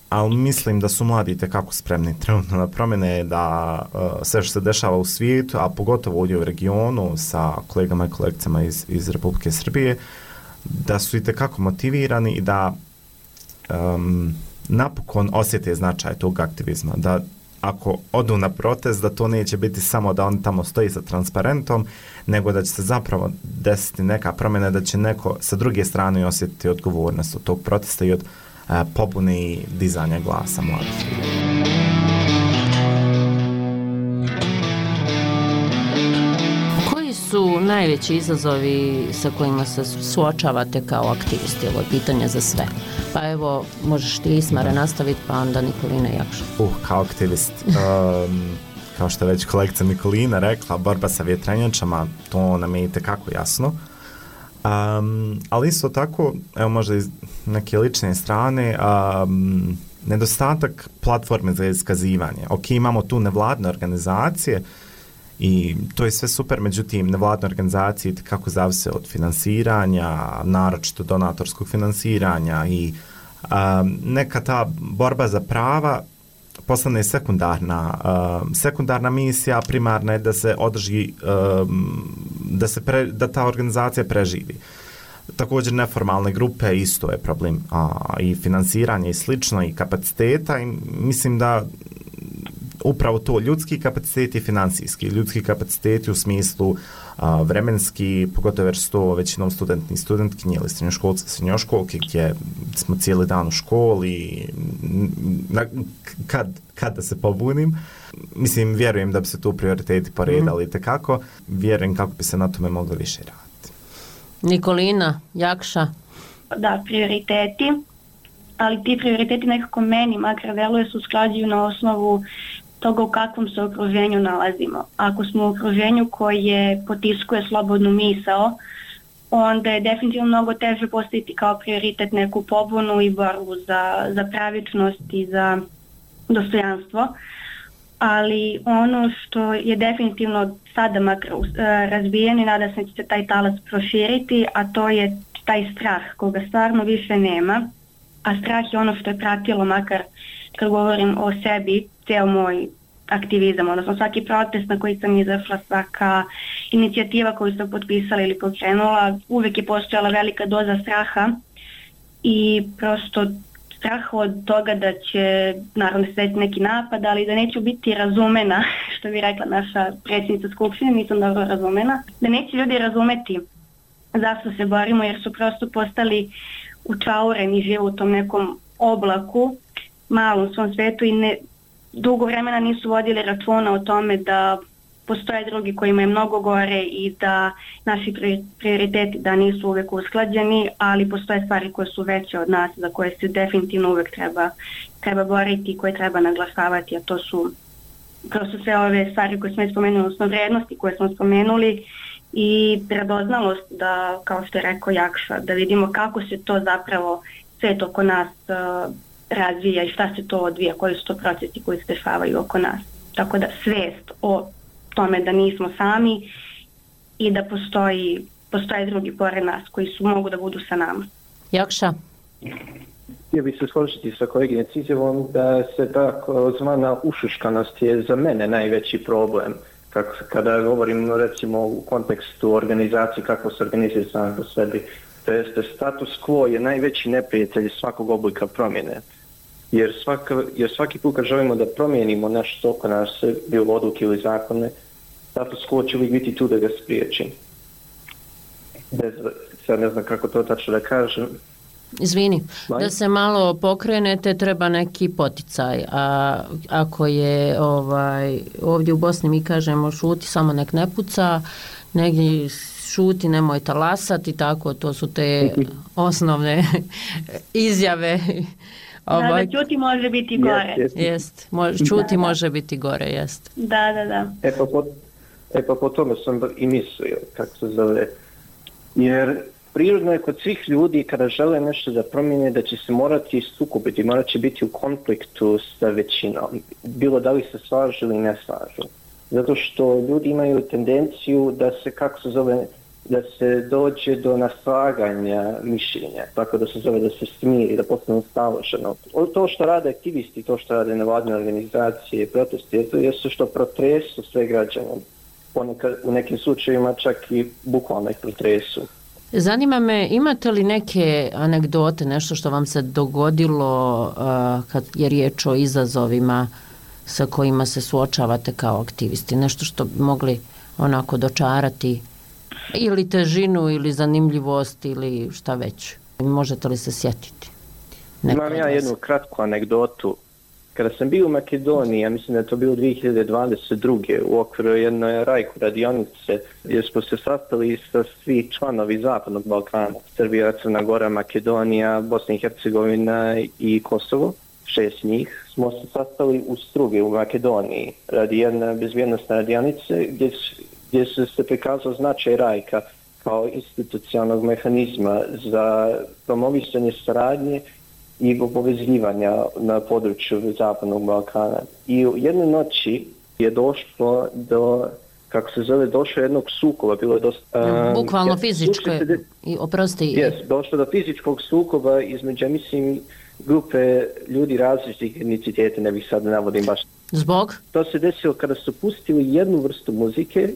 Ali mislim da su mladi itekako spremni trenutno na promjene, da sve što se dešava u svijetu, a pogotovo ovdje u regionu sa kolegama i kolegicama iz Republike Srbije, da su itekako motivirani i da napokon osjete značaj tog aktivizma, da ako odu na protest, da to neće biti samo da on tamo stoji sa transparentom, nego da će se zapravo desiti neka promjena, da će neko sa druge strane osjetiti odgovornost od tog protesta i od pobune i dizanja glasa mladih. Koji su najveći izazovi sa kojima se suočavate kao aktivisti? Ovo je pitanje za sve. Pa evo, možeš ti, Ismare, nastaviti, pa onda Nikolina Jakša. Kao aktivist, kao što je već kolegica Nikolina rekla, borba sa vjetrenjačama, to nam je itekako jasno. Ali isto tako, evo možda iz neke lične strane, nedostatak platforme za iskazivanje. Ok, imamo tu nevladne organizacije i to je sve super, međutim, nevladne organizacije kako zavise od finansiranja, naročito donatorskog finansiranja i neka ta borba za prava postane sekundarna misija, primarna je da se održi, da ta organizacija preživi. Također neformalne grupe isto je problem, i finansiranje i slično i kapaciteta, i mislim da upravo to, ljudski kapaciteti i financijski. Ljudski kapaciteti u smislu vremenski, pogotovo jer su to većinom studenti i studentkinje ili srednjoškolci i srednjoškolke, gdje smo cijeli dan u školi, kad da se pobunim. Mislim, vjerujem da bi se tu prioriteti poredali itekako. Vjerujem kako bi se na tome moglo više raditi. Nikolina, Jakša? Da, prioriteti, ali ti prioriteti nekako meni makar deluje se usklađuju na osnovu toga u kakvom se okruženju nalazimo. Ako smo u okruženju koje potiskuje slobodnu misao, onda je definitivno mnogo teže postaviti kao prioritet neku pobunu i borbu za pravičnost i za dostojanstvo. Ali ono što je definitivno sada makar razbijen i nada se da će se taj talas proširiti, a to je taj strah koga stvarno više nema. A strah je ono što je pratilo, makar kad govorim o sebi, cijel moj aktivizam, odnosno svaki protest na koji sam izašla, svaka inicijativa koju sam potpisala ili pokrenula, uvijek je postojala velika doza straha i prosto strah od toga da će naravno se desiti neki napad, ali da neću biti razumena, što bi rekla naša predsjednica Skupštine, nisam dobro razumena, da neće ljudi razumeti zašto se borimo, jer su prosto postali učaureni, žive u tom nekom oblaku, malom svom svetu i dugo vremena nisu vodili računa o tome da postoje drugi kojima je mnogo gore i da naši prioriteti da nisu uvijek usklađeni, ali postoje stvari koje su veće od nas, za koje se definitivno uvijek treba boriti i koje treba naglašavati, a to su prosto sve ove stvari koje smo spomenuli, odnosno vrijednosti koje smo spomenuli i predoznalost da, kao što je rekao Jakša, da vidimo kako se to zapravo svet oko nas razvija i šta se to odvija, koji su to procesi koji se dešavaju oko nas. Tako da svijest o tome da nismo sami i da postoje drugi pored nas koji mogu da budu sa nama. Jakša? Htio bih se složiti sa koleginic izjavom da se tako zvana ušuškanost je za mene najveći problem. Kada govorim recimo u kontekstu organizacije, kako se organizuje sam po sebi, to jeste status quo je najveći neprijatelj svakog oblika promjene. Jer svaki put kad želimo da promijenimo nešto oko nas, bilo odluke ili zakone, status quo će uvijek biti tu da ga spriječi. Sad ne znam kako to tačno da kažem. Izvini, da se malo pokrenete treba neki poticaj, a ako je ovdje u Bosni mi kažemo šuti, samo nek ne puca, negdje šuti, nemoj talasati, tako, to su te osnovne izjave. Da, čuti može biti gore. Jest, čuti može biti gore, jest. Da. Pa po tome sam i mislio, kako se zove, jer prirodno je kod svih ljudi kada žele nešto da promijene da će se morati sukobiti, morat će biti u konfliktu sa većinom, bilo da li se slažu ili ne slažu. Zato što ljudi imaju tendenciju da se, kako se zove, da se dođe do naslaganja mišljenja, tako da se zove da se smiri, da postane staloženo. To što rade aktivisti, to što rade nevladine organizacije, protesti, to je što protresu sve građane. Ponekad, u nekim slučajevima čak i bukvalno ih protresu. Zanima me, imate li neke anegdote, nešto što vam se dogodilo kad je riječ o izazovima sa kojima se suočavate kao aktivisti? Nešto što bi mogli onako dočarati ili težinu ili zanimljivost ili šta već? Možete li se sjetiti? Imam ja jednu kratku anegdotu. Kada sam bio u Makedoniji, ja mislim da je to bilo 2022. u okviru jedne rajku radionice, gdje smo se sastali sa svi članovi Zapadnog Balkana, Srbija, Crna Gora, Makedonija, Bosna i Hercegovina i Kosovo, 6 njih, smo se sastali u Strugi u Makedoniji radi jedne bezbjednostne radionice gdje se prikazao značaj rajka kao institucionalnog mehanizma za promovisanje saradnje i povezivanja na području Zapadnog Balkana. I u jednoj noći je došlo do, kako se zove, došlo jednog sukoba, bilo je dosta... Bukvalno fizičko, oprosti. Došlo do fizičkog sukoba između, mislim, grupe ljudi različitih etniciteta, ne bih sad navodim baš. Zbog? To se desilo kada su pustili jednu vrstu muzike,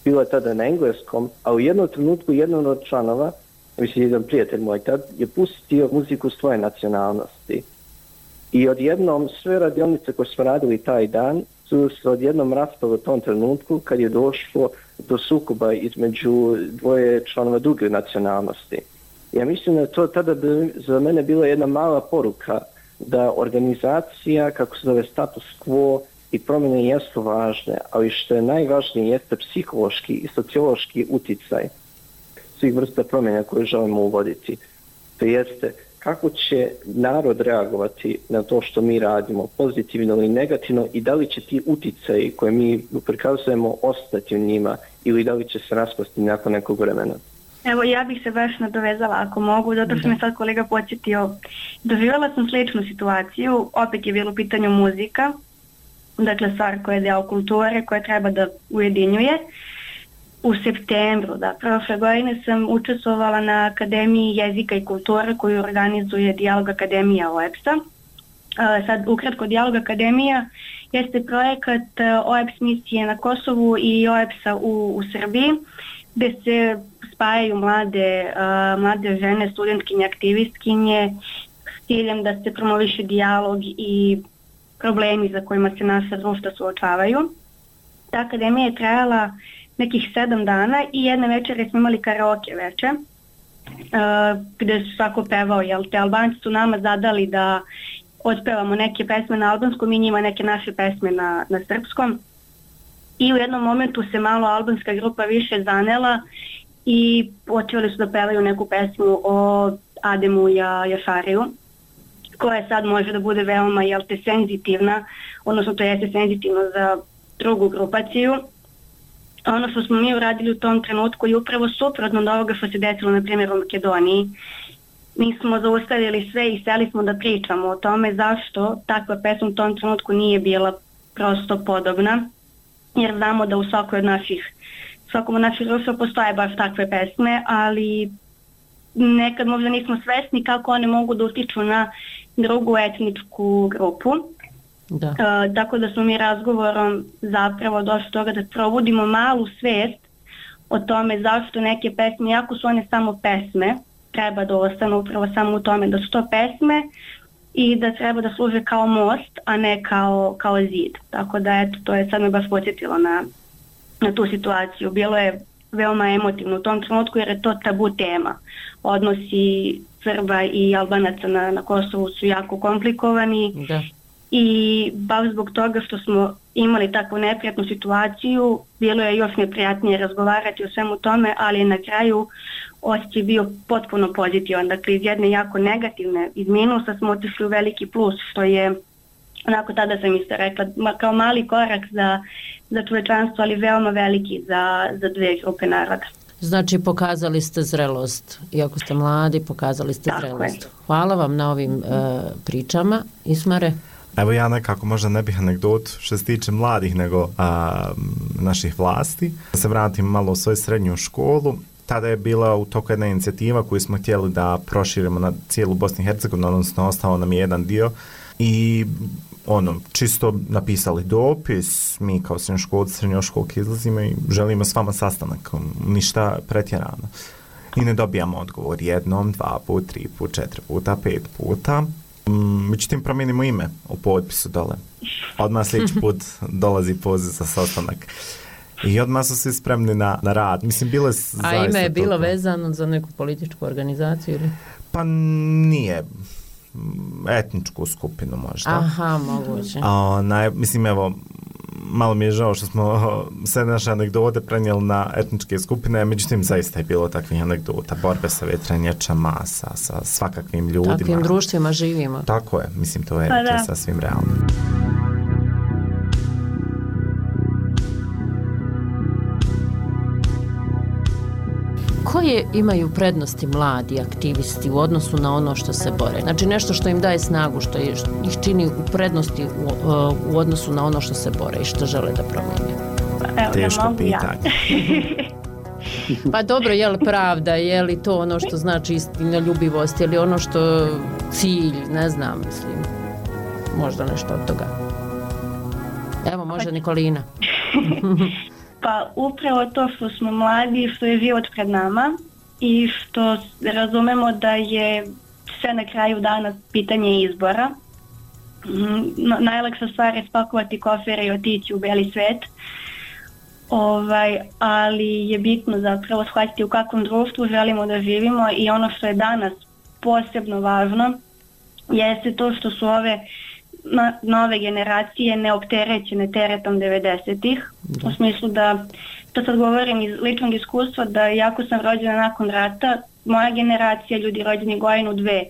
bilo je tada na engleskom, a u jednom trenutku jedan od članova, mislim, jedan prijatelj moj tad, je pustio muziku svoje nacionalnosti. I odjednom sve radionice koje smo radili taj dan su se odjednom raspale u tom trenutku kad je došlo do sukoba između dvoje članova druge nacionalnosti. Ja mislim da to tada za mene bila jedna mala poruka da organizacija, kako se zove, status quo i promjene jesu važne, ali što je najvažnije jeste psihološki i sociološki uticaj svih vrsta promjena koje želimo uvoditi. To jeste kako će narod reagovati na to što mi radimo, pozitivno ili negativno, i da li će ti uticaji koje mi prikazujemo ostati u njima ili da li će se raspasti nakon nekog vremena. Evo, ja bih se baš nadovezala ako mogu, zato što me sad kolega podsjetio. Doživjela sam sličnu situaciju, opet je bilo u pitanju muzika, dakle stvar koja je deo kulture, koja treba da ujedinjuje. U septembru, prošle godine sam učestvovala na Akademiji jezika i kulture koju organizuje Dijalog Akademija OEBS-a. Sad, ukratko, Dijalog Akademija jeste projekat OEBS misije na Kosovu i OEBS-a u Srbiji, gdje se spajaju mlade žene, studentkinje, aktivistkinje s ciljem da se promoviše dijalog i problemi za kojima se naša društva suočavaju. Ta akademija je trajala nekih 7 dana i jedne večere smo imali karaoke večer gdje su svako pevao, te Albanci su nama zadali da otpevamo neke pesme na albanskom i njima neke naše pesme na srpskom, i u jednom momentu se malo albanska grupa više zanela i počeli su da pevaju neku pesmu o Ademu Jašariju, koja sad može da bude veoma senzitivna, odnosno to jeste senzitivno za drugu grupaciju. Ono što smo mi uradili u tom trenutku je upravo suprotno od ovoga što se desilo na primjer u Makedoniji. Mi smo zaustavili sve i seli smo da pričamo o tome zašto takva pesma u tom trenutku nije bila prosto podobna, jer znamo da u svakom od naših društva postoje baš takve pesme, ali nekad možda nismo svesni kako one mogu da utiču na drugu etničku grupu. Da. Tako da smo mi razgovorom zapravo došli do toga da probudimo malu svest o tome zašto neke pesme, iako su one samo pesme, treba da ostanu upravo samo u tome da su to pesme i da treba da služe kao most, a ne kao zid. Tako da eto, to je sad me baš podsjetilo na tu situaciju. Bilo je veoma emotivno u tom trenutku jer je to tabu tema. Odnosi Srba i Albanaca na Kosovu su jako komplikovani. Da. I baš zbog toga što smo imali takvu neprijatnu situaciju, bilo je još neprijatnije razgovarati o svemu tome, ali na kraju osjećaj bio potpuno pozitivan. Dakle, iz jedne jako negativne, iz minusa smo otišli u veliki plus, što je, onako tada sam isto rekla, kao mali korak za čovečanstvo, ali veoma veliki za dve grupe naroda. Znači, pokazali ste zrelost. Iako ste mladi, pokazali ste zrelost. Hvala vam na ovim pričama. Ismare? Evo ja nekako možda ne bih anegdot što se tiče mladih nego naših vlasti. Da se vratim malo u svoju srednju školu. Tada je bila u toku jedna inicijativa koju smo htjeli da proširimo na cijelu Bosnu i Hercegovinu, odnosno ostao nam je jedan dio i čisto napisali dopis, mi kao srednjoškolki izlazimo i želimo s vama sastanak, ništa pretjerano. I ne dobijamo odgovor jednom, 2 puta, 3 puta, 4 puta, 5 puta. Međutim, promijenimo ime u potpisu dole. Odmah sljedeći put dolazi poziv za sastanak. I odmah su svi spremni na rad. Mislim, bile a ime je bilo vezano za neku političku organizaciju ili? Pa nije. Etničku skupinu možda. Aha, moguće. Mislim, evo, malo mi je žao što smo sve naše anegdote prenijeli na etničke skupine, međutim zaista je bilo takvih anegdota, borbe sa vjetrenjačama, sa svakakvim ljudima. Takvim društvima živimo. Tako je, mislim to je sasvim realno. Koje imaju prednosti mladi aktivisti u odnosu na ono što se bore? Znači nešto što im daje snagu, što ih čini u prednosti u odnosu na ono što se bore i što žele da promijene? Teško pitanje. Pa dobro, je li pravda, je li to ono što znači istinoljubivost, je li ono što cilj, ne znam, mislim, možda nešto od toga. Evo, može Nikolina. Pa upravo to što smo mladi, što je život pred nama i što razumemo da je sve na kraju dana pitanje izbora. Najlakša stvar je spakovati kofere i otići u beli svet, ali je bitno zapravo shvatiti u kakvom društvu želimo da živimo i ono što je danas posebno važno jeste to što su ove nove generacije neopterećene teretom 90-ih. U smislu da, to sad govorim iz ličnog iskustva, da jako sam rođena nakon rata, moja generacija, ljudi rođeni godinu, 2,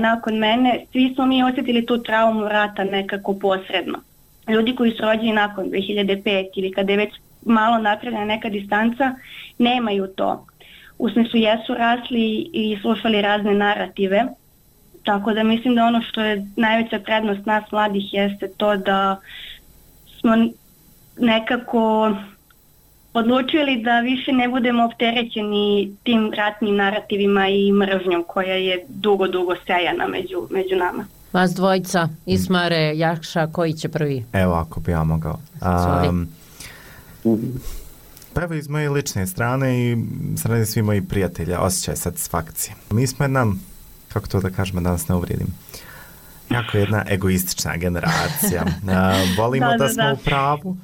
nakon mene, svi smo mi osjetili tu traumu rata nekako posredno. Ljudi koji su rođeni nakon 2005 ili kada je već malo napravljena neka distanca, nemaju to. U smislu jesu rasli i slušali razne narative. Tako da mislim da ono što je najveća prednost nas mladih jeste to da smo nekako odlučili da više ne budemo opterećeni tim ratnim narativima i mržnjom koja je dugo sejana među nama. Vas dvojica, Ismare, Jakša, koji će prvi? Evo ako bi ja mogao. Prvo iz moje lične strane i strane svi moji prijatelja, osjećaj satisfakcije. Mi smo kako to da kažemo, da nas ne uvrijedim, jako jedna egoistična generacija. Volimo da smo u pravu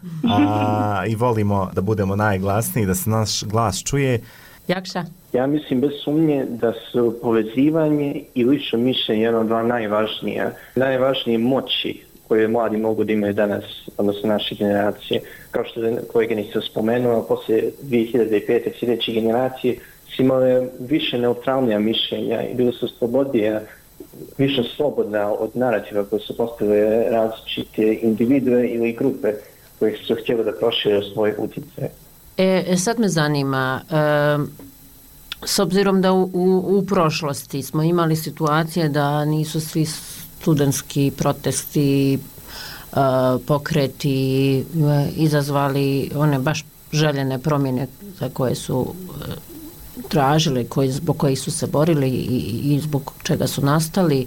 i volimo da budemo najglasniji, da se naš glas čuje. Jakša? Ja mislim bez sumnje da su povezivanje i lično mišljenje jedno od dva najvažnije moći koje mladi mogu da imaju danas, odnosno naše generacije. Kao što je koleginica spomenula, poslije 2005. sljedeće generacije su imale više neutralnija mišljenja i bili su slobodnija, više slobodna od narativa koje su postavile različite individue ili grupe koje su htjeli da prošire svoje utjecaje. Sad me zanima, s obzirom da u prošlosti smo imali situacije da nisu svi studentski protesti, pokreti izazvali one baš željene promjene za koje su tražili, zbog kojih su se borili i zbog čega su nastali.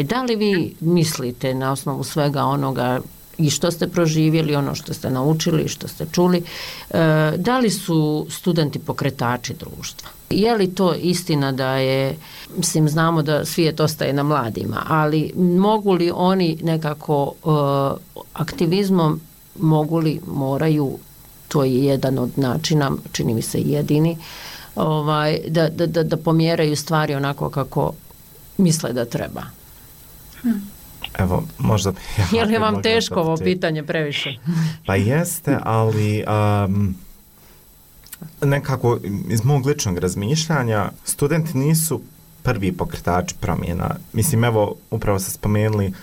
Da li vi mislite na osnovu svega onoga i što ste proživjeli, ono što ste naučili, što ste čuli, da li su studenti pokretači društva? Je li to istina da je, mislim, znamo da svijet ostaje na mladima, ali mogu li oni nekako aktivizmom, moraju, to je jedan od načina, čini mi se jedini, da pomjeraju stvari onako kako misle da treba? Evo, možda... Je li vam teško ovo pitanje previše? Pa jeste, ali nekako iz mog ličnog razmišljanja studenti nisu prvi pokretači promjena. Mislim, evo, upravo ste spomenuli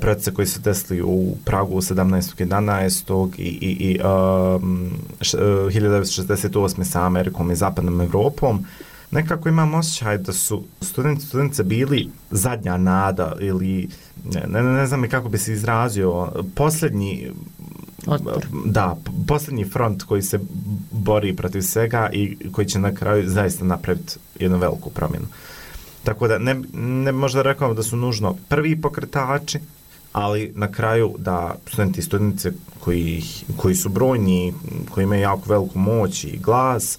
procese koji su desili u Pragu 17.11. i 1968. sa Amerikom i Zapadnom Evropom. Nekako imam osjećaj da su studentice bili zadnja nada ili ne znam kako bi se izrazio, posljednji front koji se bori protiv svega i koji će na kraju zaista napraviti jednu veliku promjenu. Tako da ne možda rekao da su nužno prvi pokretači, ali na kraju da studenti i studentice koji su brojni, koji imaju jako veliku moć i glas,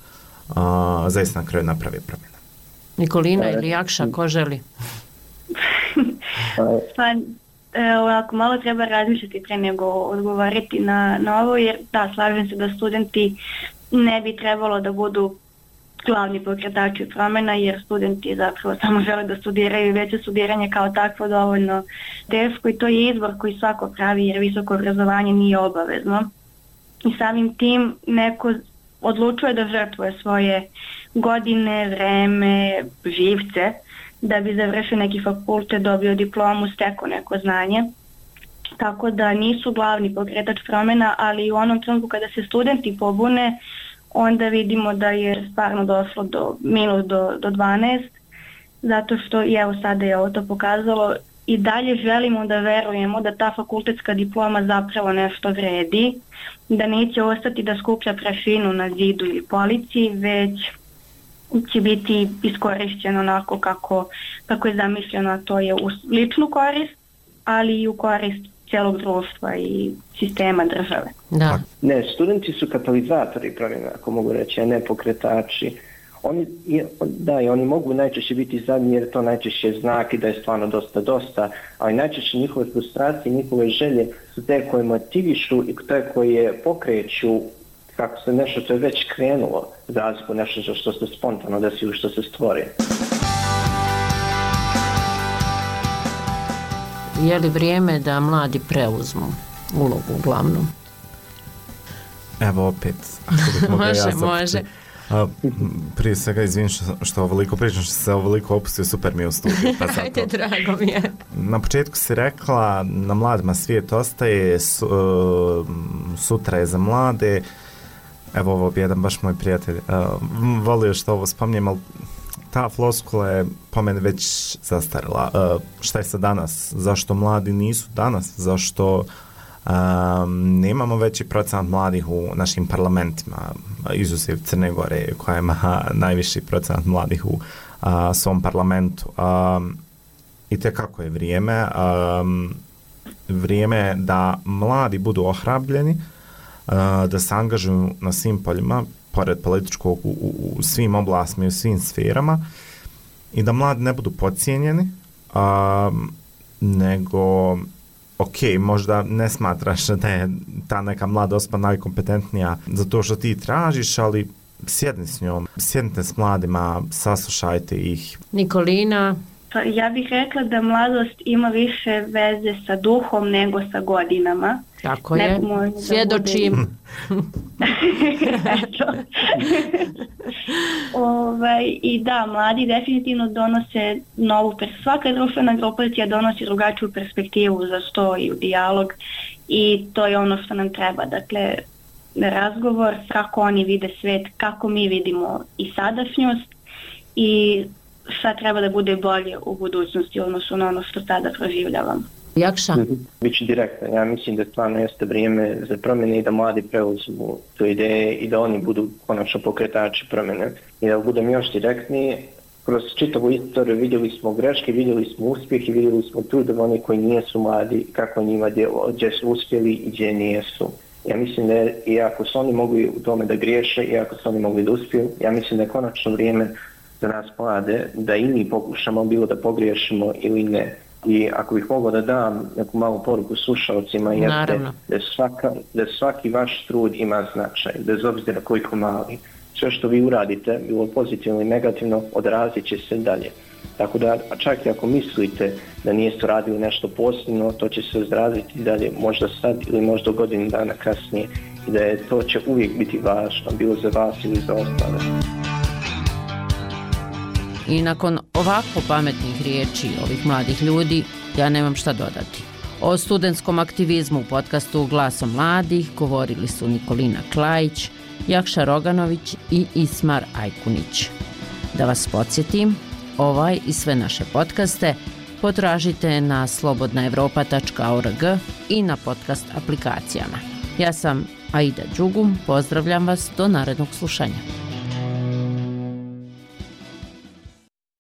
zaista na kraju napravi promjena. Nikolina ili Jakša, ko želi? Ovako, malo treba razmišljati pre nego odgovarati na ovo, jer da, slažem se da studenti ne bi trebalo da budu glavni pokretači promjena, jer studenti zapravo samo žele da studiraju i već je studiranje kao takvo dovoljno teško i to je izbor koji svako pravi, jer visoko obrazovanje nije obavezno. I samim tim neko odlučuje da žrtvuje svoje godine, vreme, živce, da bi završio neki fakultet, dobio diplomu, stekao neko znanje. Tako da nisu glavni pokretač promjena, ali u onom trenutku kada se studenti pobune, onda vidimo da je stvarno došlo do minus do 12, zato što i evo sada je ovo to pokazalo. I dalje želimo da verujemo da ta fakultetska diploma zapravo nešto vredi, da neće ostati da skuplja prašinu na zidu ili polici, već će biti iskorišćeno onako kako je zamišljeno, a to je u ličnu korist, ali i u korist cijelog društva i sistema države. Da. Ne, studenti su katalizatori promjena, ako mogu reći, a ne pokretači. Oni mogu najčešće biti zadnji jer to najčešće znak i da je stvarno dosta, ali najčešće njihove frustracije, njihove želje su te koje motivišu i te koje pokreću kako se nešto što je već krenulo, za razliku nešto što se spontano desi ili što se stvori. Je li vrijeme da mladi preuzmu ulogu glavnu? Evo opet, ako bih mogla ja zapiti. Može. Prije svega izvinim što ovoliko pričam, što se ovoliko opustio, super mi je u studiju. Pa ajde, drago mi je. Na početku si rekla, na mladima svijet ostaje, sutra je za mlade. Evo ovo bi jedan baš moj prijatelj volio što ovo spominjem, ali ta floskula je po meni već zastarila. Šta je sa danas? Zašto mladi nisu danas? Zašto nemamo veći procenat mladih u našim parlamentima, izuzev Crne Gore koja ima najviši procenat mladih u svom parlamentu. I tekako je vrijeme da mladi budu ohrabljeni, da se angažuju na svim poljima, pored političkog u svim oblastima i u svim sferama, i da mladi ne budu podcijenjeni, nego možda ne smatraš da je ta neka mlada osoba najkompetentnija za to što ti tražiš, ali sjedni s njom, sjednite s mladima, saslušajte ih. Nikolina? Pa ja bih rekla da mladost ima više veze sa duhom nego sa godinama. Tako je, svjedočim. I da, mladi definitivno donose novu svaka društvena grupacija donosi drugačiju perspektivu za sto i u dijalog, i to je ono što nam treba. Dakle, razgovor kako oni vide svet, kako mi vidimo i sadašnjost i šta treba da bude bolje u budućnosti u odnosu na ono što sada proživljavamo. Jakša? Biću direktan. Ja mislim da stvarno jeste vrijeme za promjene i da mladi preuzmu tu ideje i da oni budu konačno pokretači promjene. I da budem još direktniji, kroz čitavu istoriju vidjeli smo greške, vidjeli smo uspjeh i vidjeli smo trud oni koji nijesu mladi, kako njima djelo, gdje su uspjeli i gdje nijesu. Ja mislim da iako su oni mogli u tome da griješe, iako su oni mogli da uspiju, ja mislim da je konačno vrijeme za nas mlade da i mi pokušamo bilo da pogriješimo ili ne. I ako bih mogao da dam neku malu poruku slušalcima, jeste da svaki vaš trud ima značaj, bez obzira koliko mali. Sve što vi uradite, bilo pozitivno ili negativno, odrazit će se dalje. Tako da, čak i ako mislite da niste radili nešto posebno, to će se odraziti dalje, možda sad ili možda godinu dana kasnije. I da to će uvijek biti važno, bilo za vas ili za ostale. I nakon ovako pametnih riječi ovih mladih ljudi, ja nemam šta dodati. O studentskom aktivizmu u podcastu Glasom mladih govorili su Nikolina Klajić, Jakša Roganović i Ismar Ajkunić. Da vas podsjetim, ovaj i sve naše podcaste potražite na slobodnaevropa.org i na podcast aplikacijama. Ja sam Aida Đugum, pozdravljam vas do narednog slušanja.